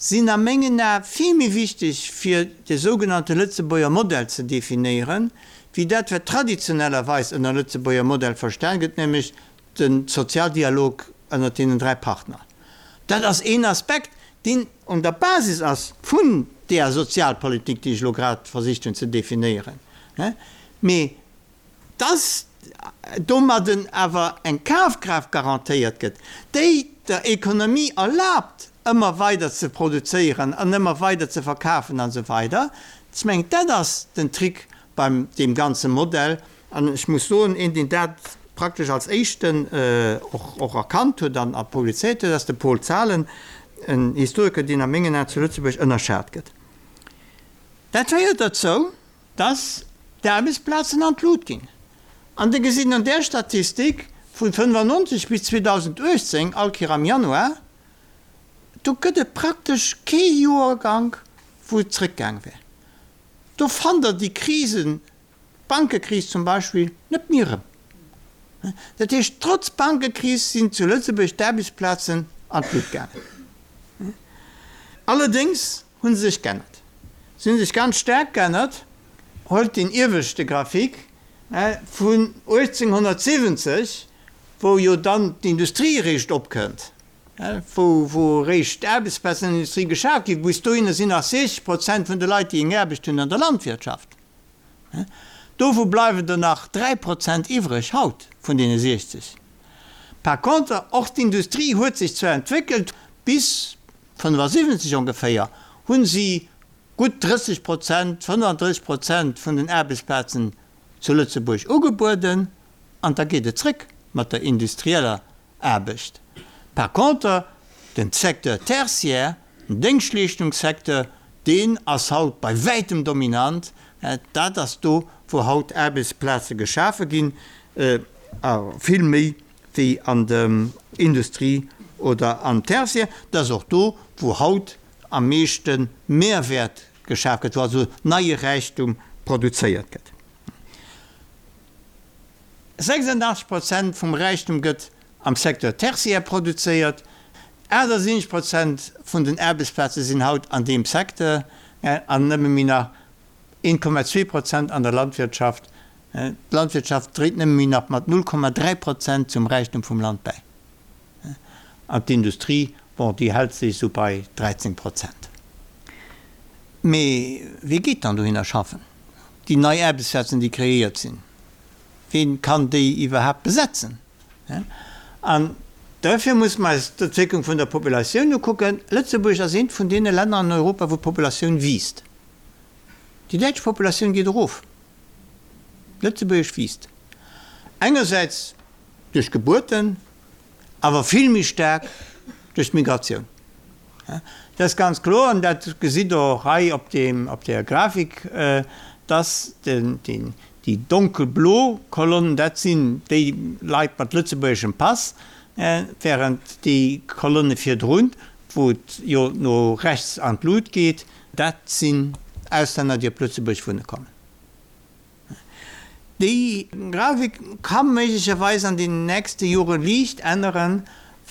Speaker 2: sinn a mengen Ae vill méi wichteg fir de sougenannte Lëtzebuerger Modell ze definéieren, wéi dat wat traditionellerweis ënner Lëtzebuerger Modell verstan gëtt, nämlech de Sozialdialog ënnert deenen 3 Partner. Dat ass een Aspekt, deen un der Basis ass vun deer Sozialpolitik, déi ech elo grad versicht hunn ze definéieren. Mee dass domadden awer eng Kafkraaft garantéiert gëtt, déi der Ekonomie erlaabt, ëmmer weider ze produzéieren an ëmmer weider ze verkafen an esou weider, ech mengen, dat ass den Trick beim deem ganze Modell. An ech muss soen, een, deen dat praktesch als éischten och erkannt huet an publizéiert huet, ass de Paul Zahlen, en Historiker, deen a mengen Aen zu Lëtzebuerg ënnerschat gëtt. Dat féiert derzou, dass d'Aarbechtsplazen an d'Lut ginn. An Der gesitt an där Statistik vu 95 bis 2018, all Kéier am Januar, do gëtt et praktesch kee Joergank, wou et zrëckgaang wär. Do fannt Der déi Krisen, d'Bankekris zum Beispill, net méi erëm. Dat heescht, trotz Bankekris sinn zu Lëtzebuerg d'Aarbechtsplazen an d'Lut gaangen. Allerdéngs hu se sech g'ännert. Se hu sech ganz staark g'ännert. Huelt deen ieweschte Graphique vun 1870, wou jo dann d'Industrie eréischt opkënnt, wou wou eréischt d'Aarbechtsplazen an der Industrie geschaf ginn. Bis dohinner sinn nach 60 Prozent vun de Leit, déi eng Aarbecht hunn, an der Landwirtschaft. Dovu bleiwen der nach 3 Prozent iwwreg haut vun deene 60. Par contre, och d'Industrie huet sech zwar entwéckelt, bis 75 ongeféier hunn si gutt 30 Prozent, 35 Prozent vun den Aarbechtsplazen zu Lëtzebuerg ugebueden an da geet et zréck mat der industrieller Aarbecht. Par contre, den Secteur tertiaire, den Déngschtleeschtungssecteur, deen ass haut bei wäitem dominant. Dat ass do, wou haut Aarbechtsplaze geschafe ginn, a vill méi wéi an der Industrie oder am Tertiaire. Dat ass och do, wou haut am meeschte Mehrwäert geschaf gëtt, wou also neie Räichtum produzéiert gëtt. 86 Prozent vum Räichtum gëtt am Secteur tertiaire produzéiert, 78 Prozent vun den Aarbechtsplaze sinn haut an deem Secteur an nëmme méi nach 1,2 Prozent an der Landwirtschaft. D'Landwirtschaft dréit nëmme méi nach mat 0,3 Prozent zum Räichtum vum Land bäi. An d'Industrie, bon, déi hält sech esou bei 13 Prozent. Mee wie geet dann dohinner schaffen? Déi nei Aarbechtsplazen, déi kreéiert sinn, ween kann déi iwwerhaapt besetzen? An duerfir muss mer eis d'Entwécklung vun der Populatioun ukucken. Lëtzebuerg ass eent vun deene Länner an Europa, wou d'Populatioun wiisst. Déi däitsch Populatioun geet erof, d'lëtzebuergesch wiisst. Engersäits duerch Gebuerten, awer vill méi staark duerch d'Migratioun. Dat ass ganz kloer, an dat gesitt Der och hei op deem, op där Grafik, dass déi donkelblo Kolonn, dat sinn déi Leit mat lëtzebuergeschem Pass, während déi Kolonne virdrun, wou et jo no rechts an d'Lut geet, dat sinn Auslänner, déi op Lëtzebuerg wunne kommen. Déi Grafik ka méiglecherweis an den nächste Jore liicht änneren,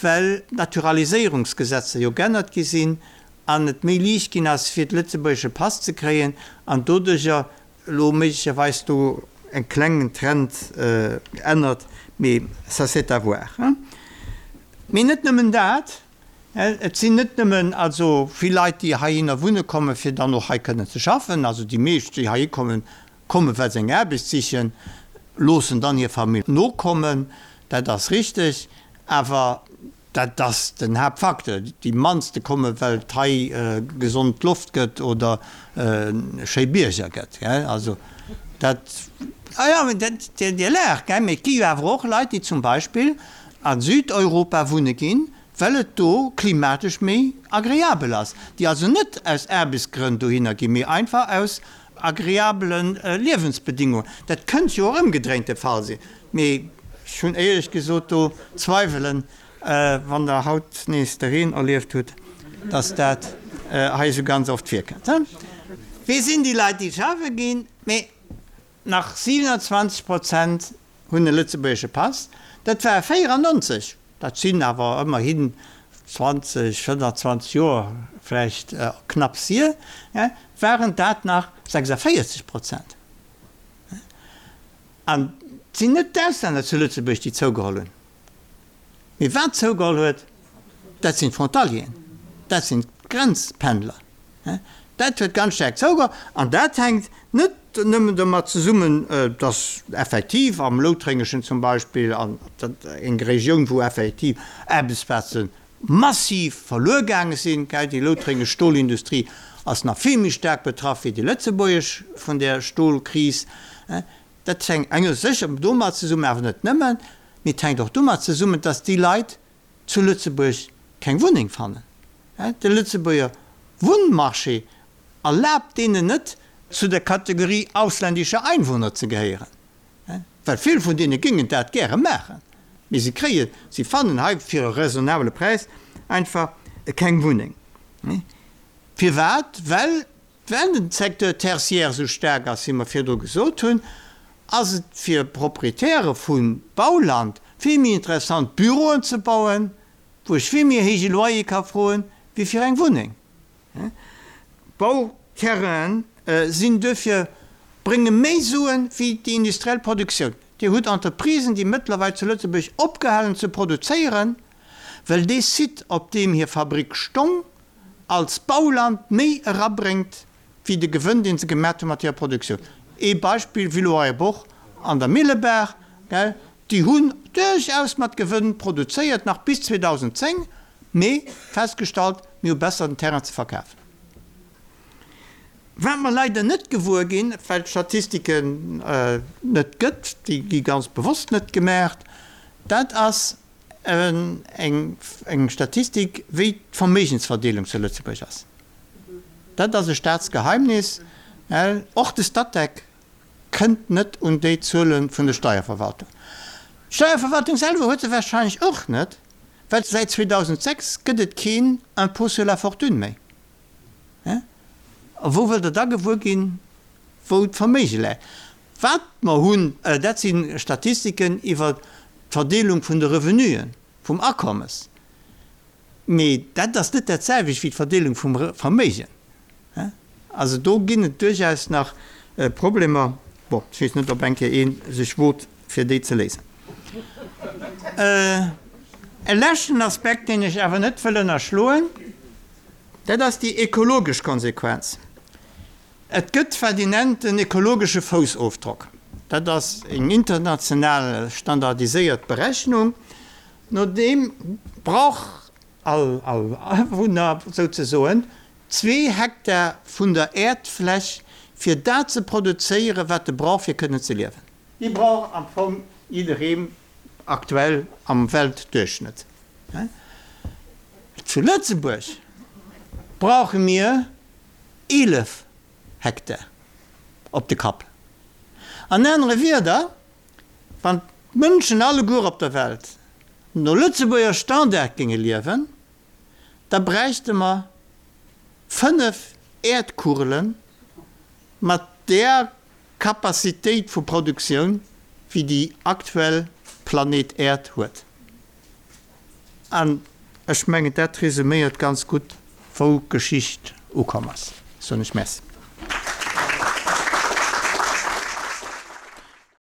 Speaker 2: well d'Naturaliséierungsgesetzer jo g'ännert gi sinn an et méi liicht ginn ass, fir de lëtzebuergesche Pass ze kréien an doduercher elo méiglecherweis do e klengen Trend ännert, mee ça c'est à voir. Mee net nëmmen dat. Et sinn net nëmmen also vill Leit, déi heihinner wunne kommen, fir dann och hei kënnen ze schaffen. Also déi meescht, déi heihi kommen, kommen, well se eng Aarbecht sichen, loossen dann hir Famill nokommen. Dat ass richteg. Awer dat ass den Haaptfacteur. Déi mannste kommen, well et hei gesond Loft gëtt oder schéi Bierger gëtt. Also dat, ah jo, dat, Dir laacht, mee et gi jo awer och Leit, déi zum Beispill a Südeuropa wunne ginn, well et do klimatesch méi agreabel ass, déi also net aus Aarbechtsgrënn dohinner ginn, mee einfach aus agreabele Liewensbedingungen. Dat kënnt jo och ëmgedréint de Fall sinn, mee ech hunn éierlech gesot do Zweiwelen, wann Der haut nees de Reen erlieft hutt, dass dat hei esou ganz oft virkënnt. Wie sinn déi Leit, déi schaffe ginn? Mee Nach 27 Prozent hunn e lëtzebuergesche Pass, dat war 94, dat sinn awer ëmmerhin 20, 25 Joer vläicht knapps hier, waren dat nach 46 Prozent. An et sinn net d'Auslänner zu Lëtzebuerg, déi zougeholl hunn. Mee wat zougeholl huet, dat sinn d'Frontalieren, dat sinn d'Grenzpendler. Dat huet ganz staark zougeholl an dat hänkt net nëmmen domat zesummen, datt effektiv am Loutrengeschen zum Beispill, an eng Regioun, wou effektiv Aarbechtsplaze massiv verluer gaange sinn, déi loutrengesch Stolindustrie ass nach vill méi staark betraff wéi déi lëtzebuergesch vun där Stolkris. Dat hänkt engersäits sécher domat zesummen, awer net nëmmen. Mee et hänkt och domat zesummen, dass déi Leit zu Lëtzebuerg keng Wunneng fannen. De Lëtzebuerger Wunnmarché erlaabt deenen net, zu der Kategorie ausländische Einwohner ze gehéieren. Well vill vun deene géingen dat gäre maachen, mee se kréien, se fannen hei fir e raisonnabele Präis einfach keng Wunneng. Firwat? Well Well den Secteur tertiaire esou staark ass, wéi mer virdru gesot hunn, ass et fir Proprietäre vu Bauland vill méi interessant, Büroen ze bauen, wou ech vill méi héije Loyer ka froen, wéi fir eng Wunneng. Bauterrainen sinn duerfir, brénge méi Suen, wéi déi industriell Produktioun. Dir hutt Entreprisen, déi mëttlerweil zu Lëtzebuerg opgehalen ze produzéieren, well dee Site, op deem hir Fabrick stong, als Bauland méi erabréngt wéi de Gewënn deen se gemat hu mat hirer Produktioun. Ee Beispill, Villeroy-et-Boch an der Millebaach, gell, déi hunn duerchaus mat Gewënn produzéiert nach bis 2010, mee festgestallt, mir hu besser den Terrain ze verkafen. Wat mer leider net gewuer ginn, well d'Statistiken net gëtt, déi gi ganz bewosst net gemaacht, dat ass, Eng Statistik, wéi d'Verméigensverdeelung zu Lëtzebuerg ass, dat ass e Staatsgeheimnis. Och de Statec kënnt net un déi Zuele vun der Steierverwaltung. D'Steierverwaltung selwer huet se warscheinlech och net, well säit 2006 gëtt et keen Impôt sur la fortune méi. A wou wëllt Der da gewuer ginn, wou d'Verméige läit? Wat mer hunn, dat si Statistiken iwwer d'Verdeelung vun de Revenuen, vum Akommes. Mee dat ass net dat selwecht wéi d'Verdeelung vum Verméigen. Also do ginn et duerchaus nach Problemer. Bon, ech weess net, ob eng Kéier ee sech wot, fir déi ze léisen. E leschten Aspekt, deen ech awer net wëll ënnerschloen, dat ass déi ekologesch Konsequenz. Et gëtt wat een nennt en ekologesche Foussofdrock. Dat ass eng international standardiséiert Berechnung. No deem brauch all Awunner souzesoen zwee Hektar vun der Äerdfläch fir dat ze produzéieren, wat e brauch fir kënnen ze liewen. Déi brauch am Fong jidderee aktuell am Weltduerchschnëtt. Zu Lëtzebuerg brauche mir 11 Hektar op de Kapp. An anere Wierder, wann d'Mënschen alleguer op der Welt no Lëtzebuerger Standard géinge liewen, da bräichte mer 5 Äerdkugele mat där Capacitéit vu Produktioun, wéi déi aktuell Planet Äerd huet. An ech mengen, dat resuméiert ganz gutt, wou d'Geschicht ukomm ass. Soen ech Merci.